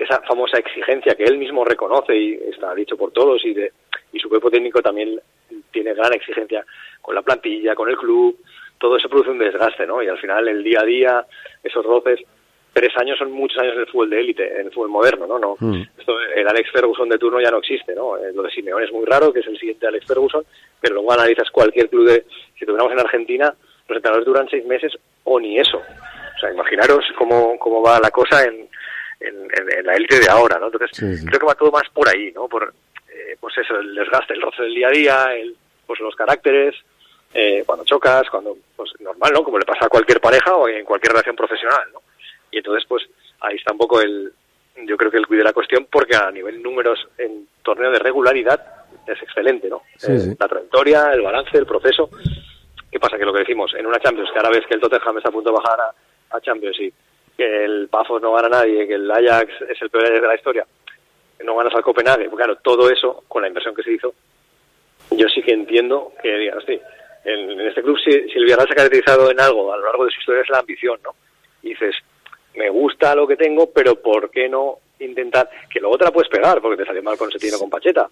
esa famosa exigencia que él mismo reconoce y está dicho por todos y su cuerpo técnico también tiene gran exigencia con la plantilla, con el club, todo eso produce un desgaste, ¿no? Y al final el día a día, esos roces, 3 años son muchos años en el fútbol de élite, en el fútbol moderno, ¿no? Esto, el Alex Ferguson de turno ya no existe, ¿no? Lo de Simeone es muy raro, que es el siguiente Alex Ferguson, pero luego analizas cualquier club si tuviéramos en Argentina, los entrenadores duran 6 meses o ni eso. O sea, imaginaros cómo va la cosa en la élite de ahora, ¿no? Entonces, creo que va todo más por ahí, ¿no? Por, pues eso, el desgaste, el roce del día a día, pues los caracteres, cuando chocas, pues normal, ¿no? Como le pasa a cualquier pareja o en cualquier relación profesional, ¿no? Y entonces, pues, ahí está un poco yo creo que el cuide la cuestión, porque a nivel números en torneo de regularidad es excelente, ¿no? La trayectoria, el balance, el proceso. ¿Qué pasa? Que lo que decimos, en una Champions, que ahora ves que el Tottenham está a punto de bajar a Champions y que el Pafos no gana a nadie, que el Ajax es el peor de la historia, no ganas al Copenhague, pues claro, todo eso, con la inversión que se hizo, yo sí que entiendo que digan, sí, en este club, si el Villarreal se ha caracterizado en algo a lo largo de su historia es la ambición, ¿no? Y dices, me gusta lo que tengo, pero ¿por qué no intentar? Que luego te la puedes pegar, porque te salió mal con Setino o con Pacheta,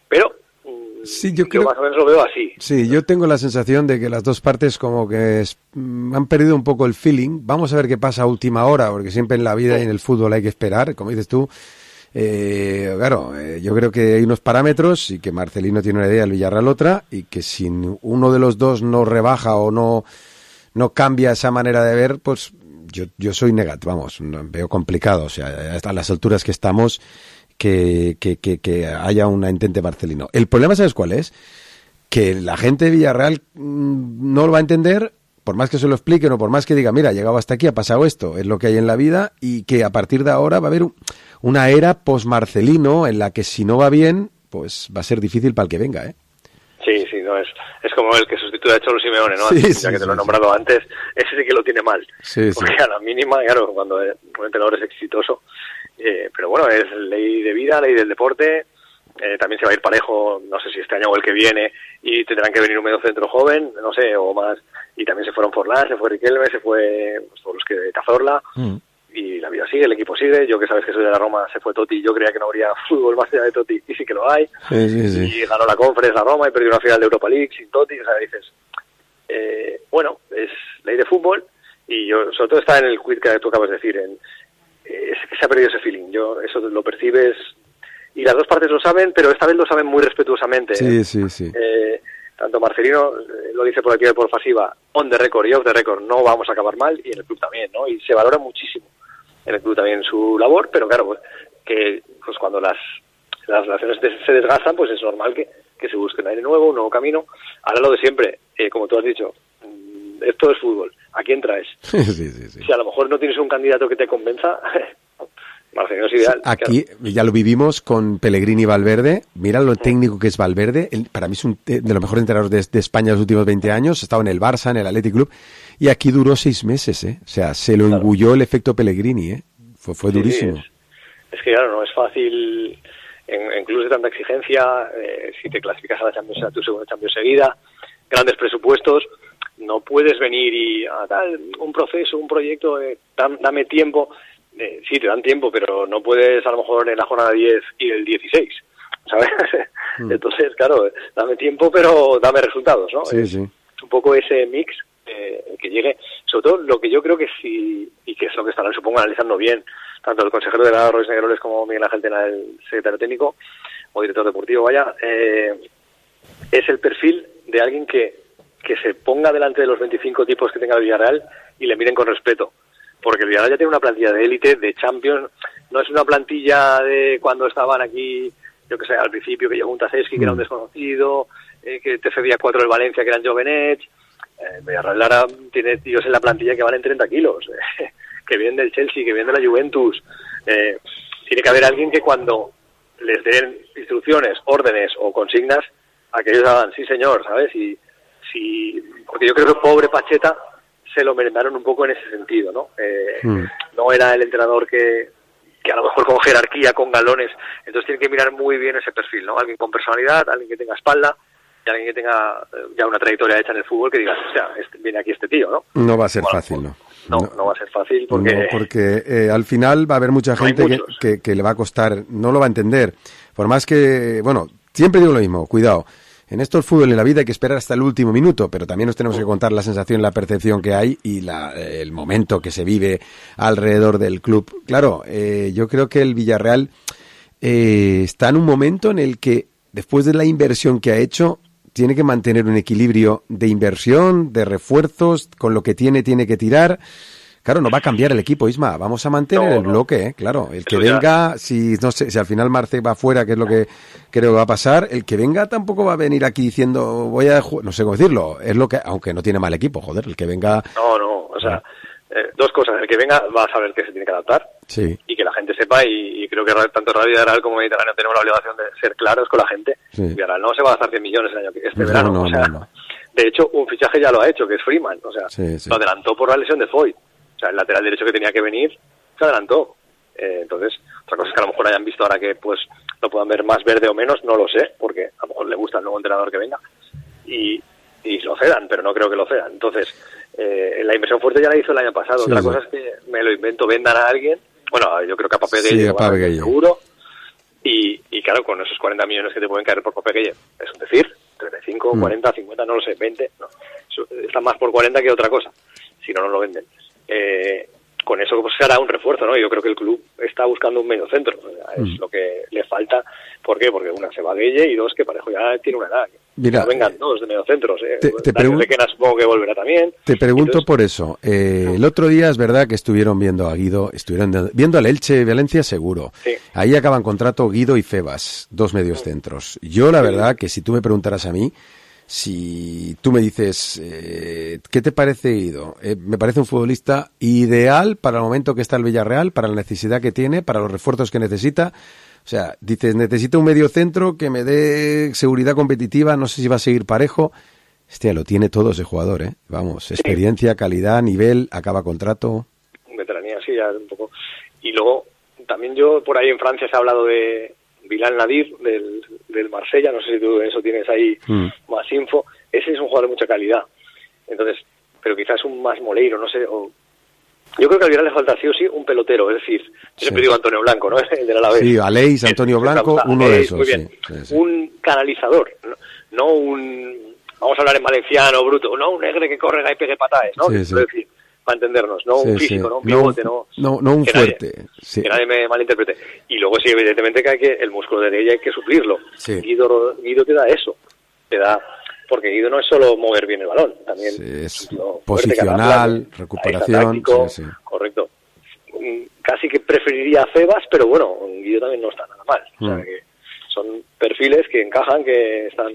pero... Sí, yo creo, más o menos lo veo así. Sí, yo tengo la sensación de que las dos partes como que han perdido un poco el feeling. Vamos a ver qué pasa a última hora, porque siempre en la vida y en el fútbol hay que esperar, como dices tú. Claro, yo creo que hay unos parámetros y que Marcelino tiene una idea, el Villarreal otra, y que si uno de los dos no rebaja o no cambia esa manera de ver, pues yo soy negativo, vamos, veo complicado. O sea, hasta las alturas que estamos... Que haya un intente Marcelino. El problema, ¿sabes cuál es? Que la gente de Villarreal no lo va a entender, por más que se lo expliquen o por más que diga, mira, ha llegado hasta aquí, ha pasado esto, es lo que hay en la vida, y que a partir de ahora va a haber una era post-Marcelino en la que si no va bien, pues va a ser difícil para el que venga, ¿eh? Sí, no es como el que sustituye a Cholo Simeone, ¿no? Ya que te lo he nombrado antes, ese sí que lo tiene mal. Porque a la mínima, claro, cuando un entrenador es exitoso, pero bueno, es ley de vida, ley del deporte, también se va a ir parejo, no sé si este año o el que viene, y tendrán que venir un medio centro joven, no sé, o más, y también se fueron Forlán, se fue Riquelme, se fue pues, todos los que de Cazorla, y la vida sigue, el equipo sigue. Yo que sabes que soy de la Roma, se fue Totti, yo creía que no habría fútbol más allá de Totti, y sí que lo hay, y ganó la Conference la Roma y perdió una final de Europa League sin Totti, o sea, dices, bueno, es ley de fútbol, y yo, sobre todo está en el quid que tú acabas de decir, es que se ha perdido ese feeling, eso lo percibes, y las dos partes lo saben, pero esta vez lo saben muy respetuosamente. Sí. Tanto Marcelino lo dice por activa y por pasiva, on the record y off the record, no vamos a acabar mal, y en el club también, ¿no? Y se valora muchísimo en el club también su labor, pero claro, pues cuando las relaciones se desgastan, pues es normal que se busque un aire nuevo, un nuevo camino. Ahora lo de siempre, como tú has dicho, esto es fútbol, ¿a quién traes? Sí. Si a lo mejor no tienes un candidato que te convenza, Marcelino es ideal. Aquí ya lo vivimos con Pellegrini y Valverde. Mira lo técnico que es Valverde. Para mí es de los mejores entrenadores de España en los últimos 20 años. Estaba en el Barça, en el Athletic Club. Y aquí duró 6 meses, ¿eh? O sea, se lo engulló el efecto Pellegrini, ¿eh? Fue durísimo. Es que claro, no es fácil en clubes de tanta exigencia. Si te clasificas a la Champions, a tu segunda Champions seguida, grandes presupuestos, no puedes venir y un proceso, un proyecto, dame tiempo. sí, te dan tiempo, pero no puedes a lo mejor en la jornada 10 ir el 16, ¿sabes? Entonces, claro, dame tiempo, pero dame resultados, ¿no? Sí, sí. Es un poco ese mix que llegue, sobre todo lo que yo creo que sí, y que es lo que estarán, supongo, analizando bien, tanto el consejero de la Royce Negroles como Miguel Ángel Tena, el secretario técnico o director deportivo, vaya, es el perfil de alguien que se ponga delante de los 25 tipos que tenga el Villarreal y le miren con respeto. Porque el Villarreal ya tiene una plantilla de élite, de Champions, no es una plantilla de cuando estaban aquí, yo que sé, al principio, que llegó un Taseski, que era un desconocido, que te cedía 4 del Valencia, que eran Jovenech. El Villarreal ahora tiene tíos en la plantilla que valen 30 kilos, que vienen del Chelsea, que vienen de la Juventus. Tiene que haber alguien que cuando les den instrucciones, órdenes o consignas, a que ellos hagan, sí señor, ¿sabes? Porque yo creo que el pobre Pacheta se lo merendaron un poco en ese sentido, ¿no? No era el entrenador que a lo mejor con jerarquía, con galones, entonces tiene que mirar muy bien ese perfil, ¿no? Alguien con personalidad, alguien que tenga espalda y alguien que tenga ya una trayectoria hecha en el fútbol que digas, o sea, viene aquí este tío, ¿no? No va a ser fácil, ¿no? No va a ser fácil porque... No, porque al final va a haber mucha gente que le va a costar, no lo va a entender. Por más que, bueno, siempre digo lo mismo, cuidado. En esto el fútbol en la vida hay que esperar hasta el último minuto, pero también nos tenemos que contar la sensación, la percepción que hay y el momento que se vive alrededor del club. Claro, yo creo que el Villarreal está en un momento en el que, después de la inversión que ha hecho, tiene que mantener un equilibrio de inversión, de refuerzos, con lo que tiene que tirar. Claro, no va a cambiar el equipo, Isma. Vamos a mantener el bloque, claro. El que venga, si al final Marce va fuera, que es lo que creo que va a pasar, el que venga tampoco va a venir aquí diciendo, voy a no sé cómo decirlo, es lo que, aunque no tiene mal equipo, joder, el que venga... No, o sea, dos cosas. El que venga va a saber que se tiene que adaptar. Sí. Y que la gente sepa, y creo que tanto Radio Villarreal como Mediterráneo tenemos la obligación de ser claros con la gente. Sí. Villarreal no se va a gastar 100 millones el año verano. No. De hecho, un fichaje ya lo ha hecho, que es Freeman. O sea, lo adelantó por la lesión de Foyt. O sea, el lateral derecho que tenía que venir se adelantó. Entonces, otra cosa es que a lo mejor hayan visto ahora que pues lo puedan ver más verde o menos, no lo sé, porque a lo mejor le gusta el nuevo entrenador que venga y lo cedan, pero no creo que lo cedan. Entonces, la inversión fuerte ya la hizo el año pasado. Otra cosa es que me lo invento, vendan a alguien. Bueno, yo creo que a Papegueye seguro. Y claro, con esos 40 millones que te pueden caer por Papegueye, es decir, 35, 40, 50, no lo sé, 20, no. Está más por 40 que otra cosa, si no lo venden. Con eso pues se hará un refuerzo, ¿no? Yo creo que el club está buscando un medio centro, es lo que le falta. ¿Por qué? Porque una, se va Gueye, y dos, que Parejo ya tiene una edad. Mira, no vengan dos de medio centros. Te pregunto, supongo que volverá también. Te pregunto por eso. El otro día es verdad que estuvieron viendo a Guido, estuvieron viendo al Elche Valencia seguro. Sí. Ahí acaban contrato Guido y Febas, dos medios centros. Yo la verdad que si tú me preguntaras a mí, si tú me dices, ¿qué te parece Guido? Me parece un futbolista ideal para el momento que está el Villarreal, para la necesidad que tiene, para los refuerzos que necesita. O sea, dices, necesito un medio centro que me dé seguridad competitiva, no sé si va a seguir Parejo. Hostia, lo tiene todo ese jugador, ¿eh? Vamos, experiencia, calidad, nivel, acaba contrato. Veteranía, sí, ya un poco. Y luego, también yo, por ahí en Francia se ha hablado de Bilal Nadir, del Marsella, no sé si tú eso tienes ahí más info. Ese es un jugador de mucha calidad. Entonces, pero quizás un más Moleiro, no sé, yo creo que al Villarreal le falta sí o sí un pelotero, es decir, yo siempre digo Antonio Blanco, ¿no? El del Alavés. Sí, Aleix, Antonio Blanco, uno de esos. Muy bien. Sí. Un canalizador, no un, vamos a hablar en valenciano, bruto, no un negre que corre y pegue patadas, ¿no? Sí. Es decir, para entendernos, no un físico, no un pivote, no un fuerte. Que nadie me malinterprete. Y luego sí, evidentemente que el músculo de ella hay que suplirlo. Sí. Guido te da eso, porque Guido no es solo mover bien el balón, también es posicional, recuperación. Correcto. Casi que preferiría a Febas, pero bueno, Guido también no está nada mal. O sea, que son perfiles que encajan, que están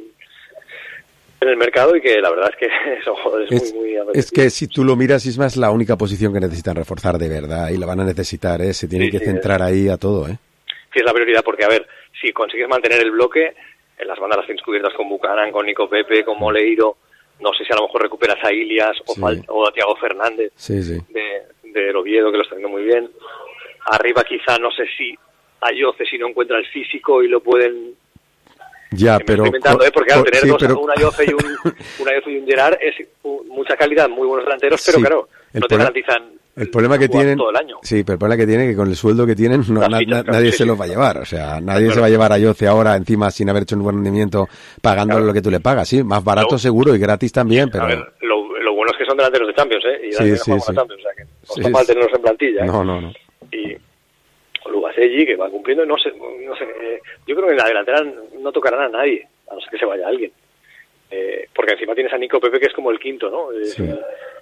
en el mercado y que la verdad es que son jugadores muy es que si tú lo miras, Isma, es la única posición que necesitan reforzar de verdad y la van a necesitar, se tienen que centrar ahí a todo. Sí, es la prioridad, porque a ver, si consigues mantener el bloque, en las bandas las tienes cubiertas con Buchanan, con Nico Pepe, con Moleiro, no sé si a lo mejor recuperas a Ilias o a Thiago Fernández de Oviedo, que lo está haciendo muy bien. Arriba quizá, no sé si Ayoce, si no encuentra el físico y lo pueden... Ya, pero... porque al tener un Ayoce y un Gerard es mucha calidad, muy buenos delanteros, pero claro, no te garantizan El problema que tienen, todo el año. sí, pero el problema que tienen es que con el sueldo que tienen nadie se los va a llevar, o sea, nadie se va a llevar a Yoce ahora encima sin haber hecho un buen rendimiento pagándole lo que tú le pagas, sí, más barato seguro y gratis también, pero... A ver, lo bueno es que son delanteros de Champions, y sí. Champions, o sea, que no está mal tenerlos en plantilla. No. Y Lubaselli, que va cumpliendo, no sé, yo creo que en la delantera no tocarán a nadie, a no ser que se vaya alguien. Porque encima tienes a Nico Pepe, que es como el quinto, ¿no? Sí.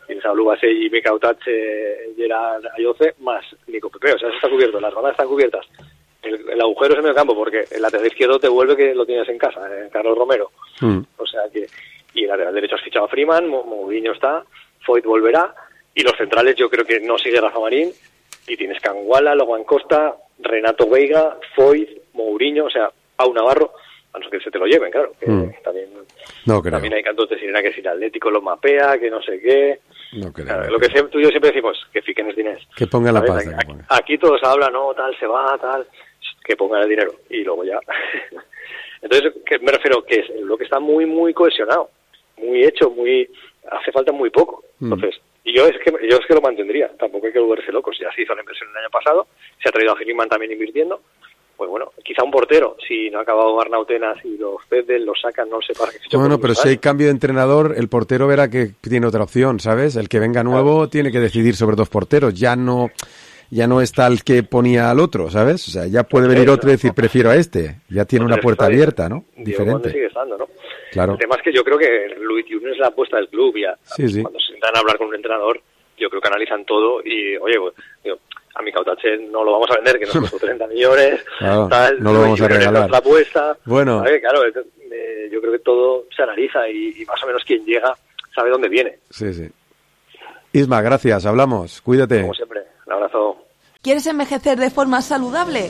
Tienes a Lubaselli, Mika Otache, Gerard Ayoce, más Nico Pepe, o sea, eso está cubierto, las bandas están cubiertas. El agujero es en medio campo, porque el lateral izquierdo te vuelve que lo tienes en casa, Carlos Romero. O sea que... Y el lateral derecho has fichado a Freeman, Mourinho está, Foyt volverá, y los centrales yo creo que no sigue Rafa Marín, y tienes Canguala, Logan Costa, Renato Veiga, Foyt, Mourinho, o sea, Pau Navarro, a no ser que se te lo lleven, claro, que también hay cantos de sirena que si el Atlético lo mapea, que no sé qué. No creo. Claro, lo que tú y yo siempre decimos, que fiquen el dinero. Que pongan la pasta. Aquí todos hablan, no, tal, se va, tal, que pongan el dinero, y luego ya. Entonces, me refiero que es lo que está muy, muy cohesionado, muy hecho, hace falta muy poco. Entonces, y yo es que lo mantendría, tampoco hay que volverse locos, ya se hizo la inversión el año pasado, se ha traído a Griezmann también invirtiendo, pues bueno, quizá un portero, si no ha acabado Arnautenas y los ceden, los sacan, no sé para qué. Bueno, pero si hay cambio de entrenador, el portero verá que tiene otra opción, ¿sabes? El que venga nuevo tiene que decidir sobre dos porteros, ya no está el que ponía al otro, ¿sabes? O sea, ya puede venir otro y decir, prefiero a este, ya tiene una puerta abierta, ¿no? Diferente. Sigue estando, ¿no? Claro. El tema es que yo creo que Louis Tunes es la apuesta del club, ya. Sí. Cuando se sientan a hablar con un entrenador, yo creo que analizan todo y, oye, pues, a Mika Otache no lo vamos a vender, que nos costó 30 millones, claro, tal, no lo vamos a regalar. La apuesta. Bueno. Claro, yo creo que todo se analiza y más o menos quien llega sabe dónde viene. Sí. Isma, gracias, hablamos, cuídate. Como siempre, un abrazo. ¿Quieres envejecer de forma saludable?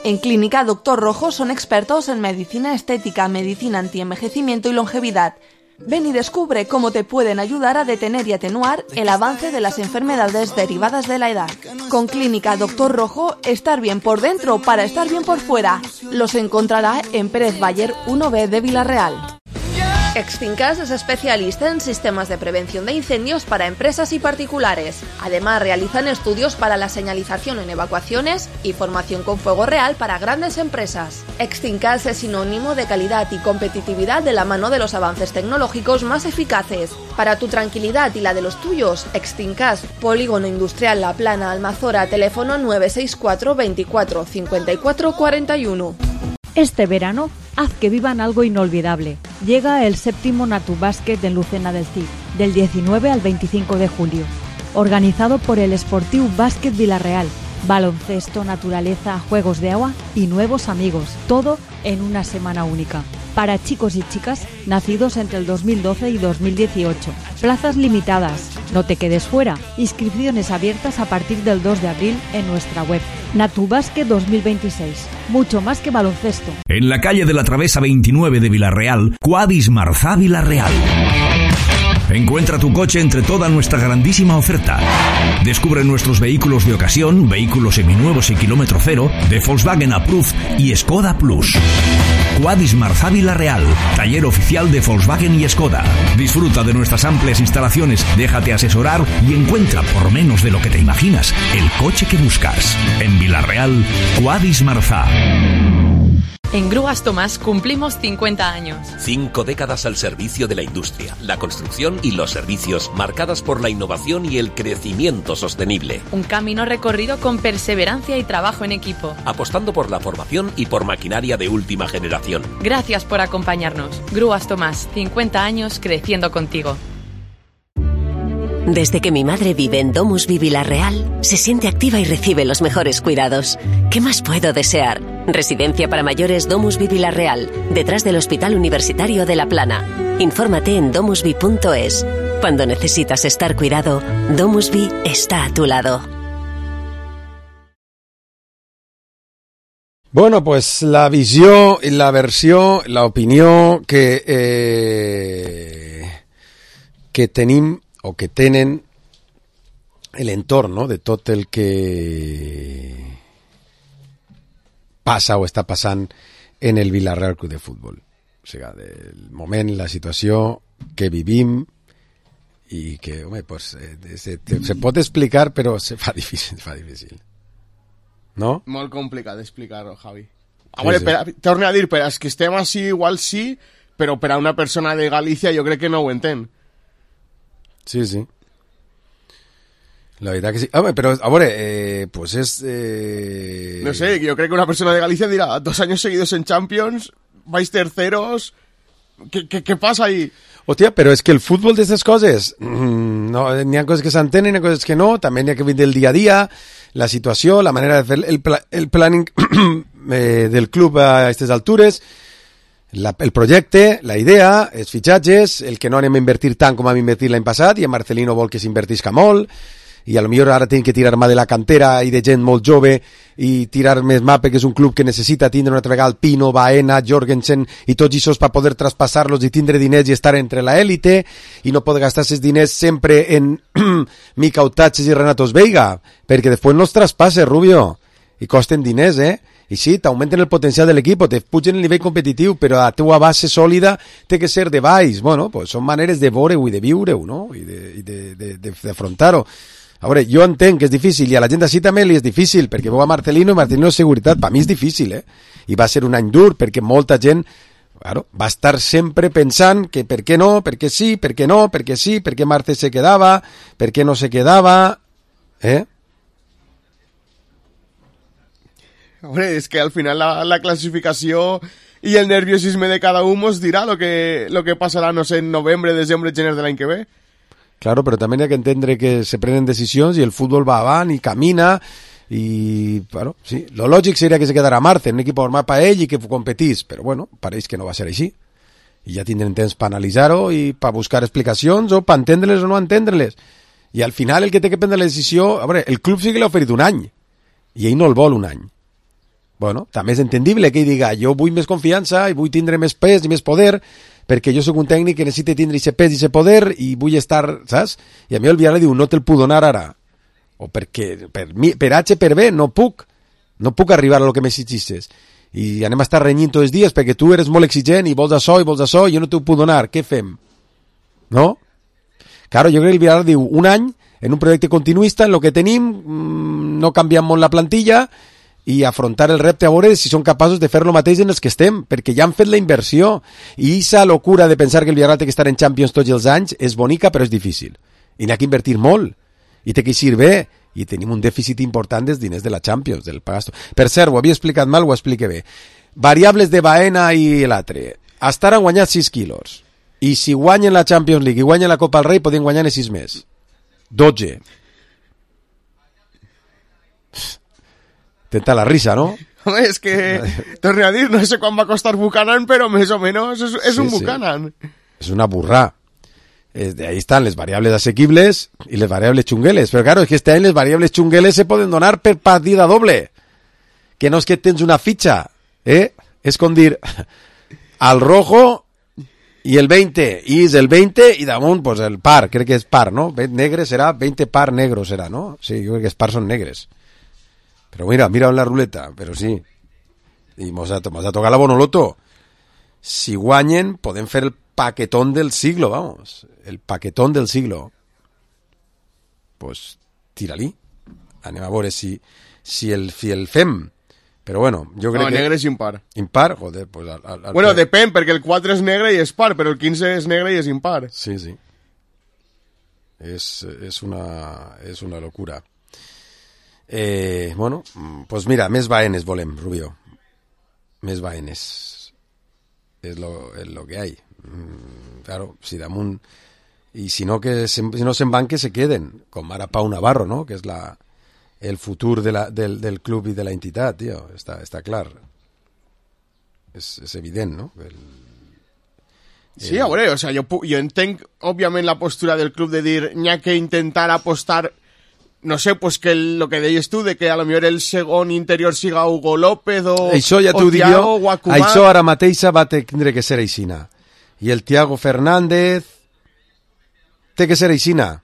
En Clínica Doctor Rojo son expertos en medicina estética, medicina antienvejecimiento y longevidad. Ven y descubre cómo te pueden ayudar a detener y atenuar el avance de las enfermedades derivadas de la edad. Con Clínica Doctor Rojo, estar bien por dentro para estar bien por fuera. Los encontrará en Pérez Bayer 1B de Villarreal. Extincas es especialista en sistemas de prevención de incendios para empresas y particulares. Además, realizan estudios para la señalización en evacuaciones y formación con fuego real para grandes empresas. Extincas es sinónimo de calidad y competitividad de la mano de los avances tecnológicos más eficaces. Para tu tranquilidad y la de los tuyos, Extincas, Polígono Industrial La Plana, Almazora, teléfono 964 24 54 41. Este verano, haz que vivan algo inolvidable. Llega el 7º Natubàsquet en Lucena del Cid, del 19 al 25 de julio. Organizado por el Esportiu Bàsquet Villarreal. Baloncesto, naturaleza, juegos de agua y nuevos amigos. Todo en una semana única. Para chicos y chicas nacidos entre el 2012 y 2018. Plazas limitadas. No te quedes fuera. Inscripciones abiertas a partir del 2 de abril en nuestra web. Natubàsquet 2026. Mucho más que baloncesto. En la calle de la Travesa 29 de Villarreal, Quadis Marzà Villarreal. Encuentra tu coche entre toda nuestra grandísima oferta. Descubre nuestros vehículos de ocasión, vehículos seminuevos y kilómetro cero, de Volkswagen Approved y Skoda Plus. Quadis Marzà Villarreal, taller oficial de Volkswagen y Skoda. Disfruta de nuestras amplias instalaciones, déjate asesorar y encuentra por menos de lo que te imaginas el coche que buscas. En Villarreal, Quadis Marzà. En Grúas Tomás cumplimos 50 años. 5 décadas al servicio de la industria, la construcción y los servicios, marcadas por la innovación y el crecimiento sostenible. Un camino recorrido con perseverancia y trabajo en equipo. Apostando por la formación y por maquinaria de última generación. Gracias por acompañarnos. Grúas Tomás, 50 años creciendo contigo. Desde que mi madre vive en Domusvi Villarreal, se siente activa y recibe los mejores cuidados. ¿Qué más puedo desear? Residencia para mayores Domusvi Villarreal, detrás del Hospital Universitario de La Plana. Infórmate en domusvi.es. Cuando necesitas estar cuidado, Domusvi está a tu lado. Bueno, pues la visió, la versió, la opinió que tenim o que tenen l'entorn de tot el que passa o està passant en el Villarreal Club de Futbol. O sigui, del moment, la situació que vivim i que, home, pues, se pot explicar, però se fa difícil. No? Molt complicat d'explicar-ho, Javi. Torne a dir, per als que estem així igual sí, però per a una persona de Galícia jo crec que no ho entén. Sí. La veritat que sí. Home, però, a veure, pues és... No sé, jo crec que una persona de Galicia dirà 2 años seguidos en Champions, vais terceros... ¿Qué pasa ahí? Hòstia, però és que el futbol d'aquestes coses, no, n'hi ha coses que s'entenen, n'hi ha coses que no, també n'hi ha que vindre el dia a dia, la situació, la manera de fer el planning del club a aquestes altures, el projecte, la idea, els fitxatges, el que no anem a invertir tant com vam invertir l'any passat, i en Marcelino vol que s'invertisca molt, i a lo millor ara tenim que tirar mà de la cantera i de gent molt jove i tirar més mà perquè és un club que necessita tindre una altra vegada el Pino, Baena, Jorgensen i tots aquests per poder traspassar-los i tindre diners i estar entre la élite i no poder gastar aquests diners sempre en Mica Utachis i Renatos Veiga perquè després no els traspasses, Rubio, i costen diners, i sí, t'augmenten el potencial de l'equip, te pugen el nivell competitiu, però la teua base sòlida té que ser de baix. Bueno, pues són maneres de veure-ho i de viure-ho, no? I d'afrontar-ho. A veure, jo entenc que és difícil i a la gent d'ací també li és difícil perquè veu a Marcelino i Marcelino és seguretat. Per mi és difícil, I va ser un any dur perquè molta gent va estar sempre pensant que per què no, per què sí, per què no, per què sí, per què Marte se quedava, per què no se quedava, Hombre, es que al final la clasificació y el nerviosisme de cada uno os dirá lo que pasará, no sé, en noviembre, desembre, gener de l'any que ve. Claro, però també hi ha que entendre que se prenen decisions i el futbol va avant i camina i, bueno, sí, lo lògic seria que se quedara Marte, un equip format per ell i que competís, però bueno, pareix que no va ser així. I ja tindrem temps per analitzar-ho i per buscar explicacions o per entendre-les o no entendre-les. I al final el que té que prendre la decisió, a veure, el club sí que l'ha oferit un any i ell no el vol un any. Bueno, també és entendible que ell diga jo vull més confiança i vull tindre més pes i més poder perquè jo sóc un tècnic que necessita tindre aquest pes i aquest poder i vull estar, saps? I a mi el Villarreal diu no te'l puc donar ara o perquè per H per B no puc arribar a lo que m'exigixes i anem a estar renyint tots els dies perquè tu eres molt exigent i vols això i jo no t'ho puc donar, què fem? No? Claro, jo crec que el Villarreal diu un any en un projecte continuista en lo que tenim no canviem molt la plantilla i afrontar el repte a veure si són capaços de fer lo mateix en els que estem, perquè ja han fet la inversió i aquesta locura de pensar que el Villarreal té que estar en Champions tots els anys és bonica però és difícil i n'hi ha que invertir molt i té que eixir bé i tenim un dèficit important dels diners de la Champions, del pagasto. Per cert, ho havia explicat mal, ho explique bé. Variables de Baena i l'altre. Estar han guanyat 6 quilos i si guanyen la Champions League i guanyen la Copa del Rei podien guanyar 6 més. 12. Tenta la risa, ¿no? Home, és que, torno a dir, no sé quan va costar Buchanan, però més o menys és un Buchanan. És una burra. Ahí están les variables asequibles y les variables chungueles. Pero claro, es que este año les variables chungueles se poden donar per partida doble. Que no és que tens una fitxa, És com dir, al rojo i el 20, i és el 20 i damunt, pues el par, crec que és par, ¿no? Negre serà, 20 par negro serà, ¿no? Sí, jo crec que els par són negres. Pero mira en la ruleta, pero sí. Y vamos a tocar la Bonoloto. Si guanyen, podem fer el paquetón del siglo, vamos. El paquetón del siglo. Pues, tira-li. Anem a veure si el fem. Però bueno, jo crec que... No, negre és impar. Impar? Joder, pues... Bueno, depèn, perquè el 4 és negre i és par, però el 15 és negre i és impar. Sí. És una locura. Bueno, pues mira, més Baenes volem, Rubio. Més Baenes. És lo que hay. Claro, si damunt... I si no se'n van, que se queden. Com ara Pau Navarro, ¿no? Que és el futur del club i de la entitat, tio. Està clar. És evident, no? Sí, a veure, o sea, jo entenc, òbviament, la postura del club de dir n'hi ha que intentar apostar, no sé, pues que lo que deies tu, de que a lo millor el segon interior siga Hugo López o Thiago o Acumar. Això ara mateixa va tindre que ser aixina. I el Thiago Fernández té que ser aixina.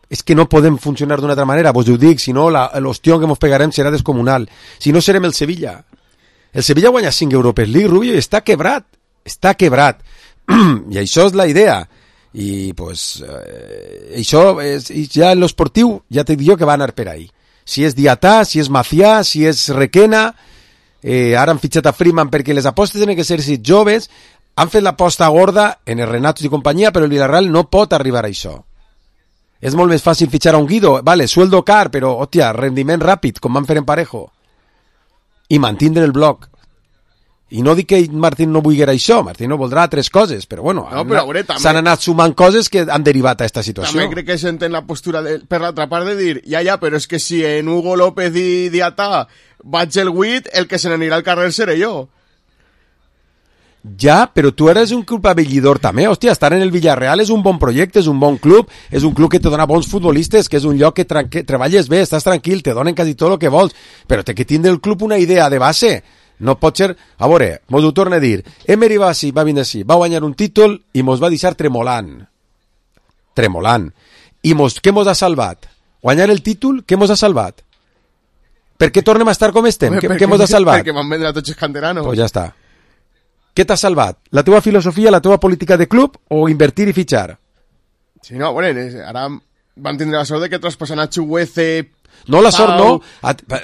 És que no podem funcionar d'una altra manera, vos ho dic, si no l'hostió que mos pegarem serà descomunal. Si no serem el Sevilla. El Sevilla guanya 5 Europees League, Rubio, i està quebrat. I això és la idea. I, pues, això, ja en l'esportiu, ja t'he dit jo que va anar per ahí. Si és Diatà, si és Macià, si és Requena, ara han fitxat a Freeman perquè les apostes tenen que ser si joves, han fet l'aposta gorda en el Renato i companyia, però el Villarreal no pot arribar a això. És molt més fàcil fitxar a un Guido, vale, sueldo car, però, hòstia, rendiment ràpid, com van fer en Parejo. I mantindre el bloc. I no dic que Martín no vulgui això, Martín no voldrà altres coses, però bueno, s'han anat sumant coses que han derivat a aquesta situació. També crec que s'entén la postura per l'altra part de dir, ja, però és que si en Hugo López i Diatà vaig el 8, el que se n'anirà al carrer seré jo. Ja, però tu eres un club abellidor també, hòstia, estar en el Villarreal és un bon projecte, és un bon club, és un club que te dona bons futbolistes, que és un lloc que treballes bé, estàs tranquil, te donen quasi tot el que vols, però té que tindre el club una idea de base. No pot ser... A veure, mos ho torna a dir. Emery va vindre així, va guanyar un títol i mos va deixar tremolant. Tremolant. I què mos ha salvat? Guanyar el títol, què mos ha salvat? Per què tornem a estar com estem? Què mos ha salvat? Perquè van vendre a tots els canteranos. Pues ja està. Què t'ha salvat? La teva filosofia, la teva política de club o invertir i fitxar? Sí, no, bueno, ara van tindre la sort de que traspassen a Chuguece... No, la sort no.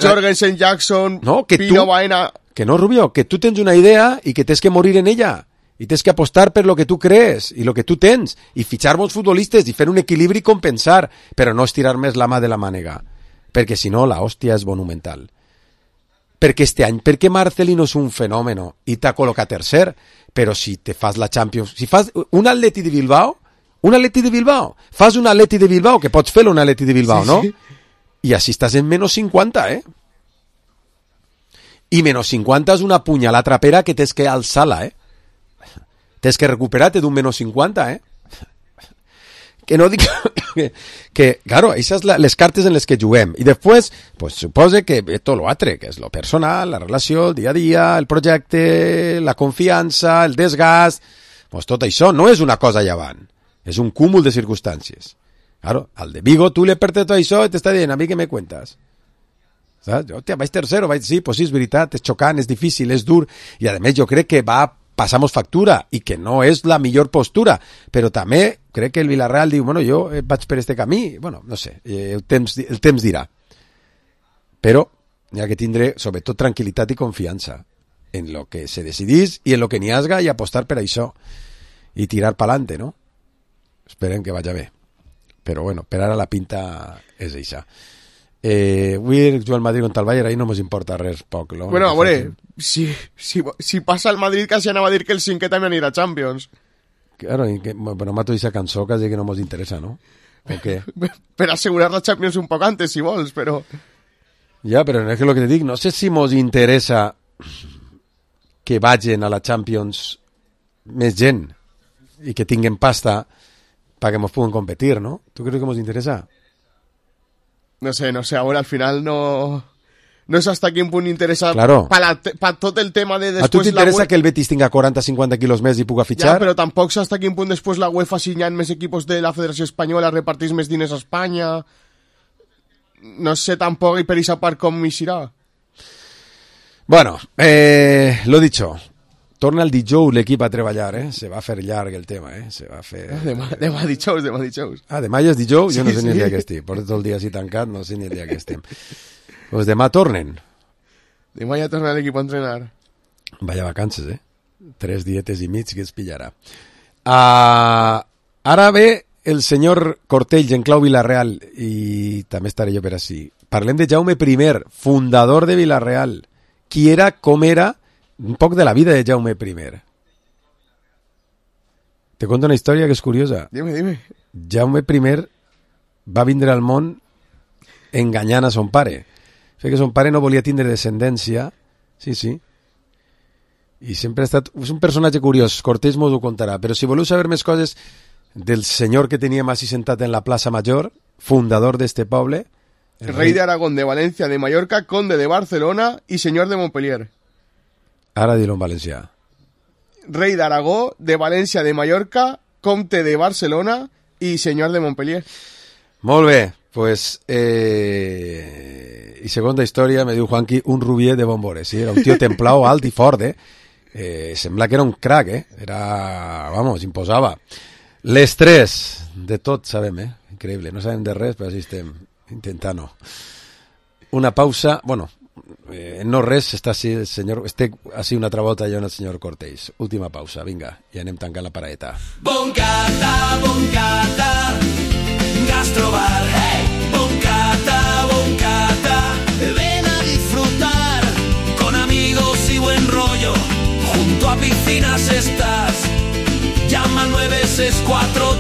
Jorgensen, Jackson, no, que Pino, Baena... Que no, Rubio, que tu tens una idea i que tens que morir en ella. I tens que apostar per lo que tu crees i lo que tu tens. I fitxar bons futbolistes i fer un equilibri i compensar. Però no estirar més la mà de la mànega. Perquè si no, la hòstia és monumental. Perquè este any, perquè Marcelino és un fenomen i t'ha col·locat tercer, però si te fas la Champions... Si fas un Atleti de Bilbao, fas un Atleti de Bilbao, que pots fer un Atleti de Bilbao, sí, no? Sí. I així estàs en menys 50, I menys 50 és una punyalada trapera que tens que alçar-la, Tens que recuperar-te d'un menys 50, Que no dic... que claro, aquestes són les cartes en les que juguem. I després, pues, supose que tot l'altre, que és lo personal, la relació, el dia a dia, el projecte, la confiança, el desgast... Pues tot això no és una cosa llevant. És un cúmul de circumstàncies. Claro, al de Vigo tú le perdes todo això i t'està dient, a mi què me cuentas? ¿Sabes? Hòstia, vaig tercero, sí, pues sí, és veritat, és xocant, és difícil, és dur, i a més jo crec que passamos factura, i que no és la millor postura, però també crec que el Villarreal diu, bueno, jo vaig per este camí, bueno, no sé, el temps dirà. Però hi ha que tindre, sobretot, tranquil·litat i confiança en lo que se decidís i en lo que n'hi hasga i apostar per això, i tirar pa'lante, no? Esperem que vagi bé. Però bueno, per ara la pinta és això. Avui jugar al Madrid contra el Bayern, ahí no ens importa res poc. No? Bueno, a veure, si passa el Madrid quasi anava a dir que el cinquè també anirà a Champions. Claro, però mato aquesta cançó quasi que no ens interessa, no? ¿O què? Per assegurar la Champions un poc antes, si vols, però... Ja, però és que el que te dic, no sé si ens interessa que vagin a la Champions més gent i que tinguen pasta para que nos puedan competir, ¿no? ¿Tú crees que nos interesa? No sé, ahora al final no es hasta quin punt interessa claro. pa tot el tema de després... A tu t'interessa que el Betis tinga 40-50 quilos més i puga fitxar? Ja, però tampoc sé hasta quin punt després la UEFA signant més equipos de la Federació Espanyola, repartís més diners a Espanya... No sé tampoc i per aquesta part com hi serà. Bueno, lo dicho... Torna el dijous l'equip a treballar, Se va fer llarg el tema, Se va fer... Demà dijous. Ah, demà ja és dijous? Sí, jo no sé ni el dia que estic. Porto tot el dia així tancat, no sé ni el dia que estem. Pues demà tornen. Demà ja torna l'equip a entrenar. Vaya vacances, 3 dietes i mig que es pillarà. Ara ve el senyor Cortells en clau Villarreal i també estaré jo per així. Parlem de Jaume I, fundador de Villarreal. Qui era, com era... Un poc de la vida de Jaume I. Te conto una història que és curiosa. Dime. Jaume I va vindre al món enganyant a son pare. Sé que son pare no volia tindre descendència. Sí. I sempre ha estat... És un personatge curiós. Cortés m'ho contarà. Però si voleu saber més coses del senyor que teníem així sentat en la plaça Major, fundador d'este poble... Rei de Aragón, de València, de Mallorca, conde de Barcelona i senyor de Montpellier. Ara dilo en valencià. Rei d'Aragó, de València, de Mallorca, comte de Barcelona i senyor de Montpellier. Molt bé, pues... I segona història, me diu Juanqui, un rubier de Bombores, sí? Era un tio templau, alt i fort, Sembla que era un crack, Era... Vamos, imposava. L'estrès, de tot sabem, increïble, no sabem de res, però així estem intentant-ho. Una pausa, bueno, no res, està així el senyor, estic així una altra volta jo en el senyor Cortés. Última pausa, vinga, i anem tancant la paraeta. Boncata, Gastrobar, hey. Boncata, ven a disfrutar, con amigos y buen rollo, junto a piscinas estás, llama al 964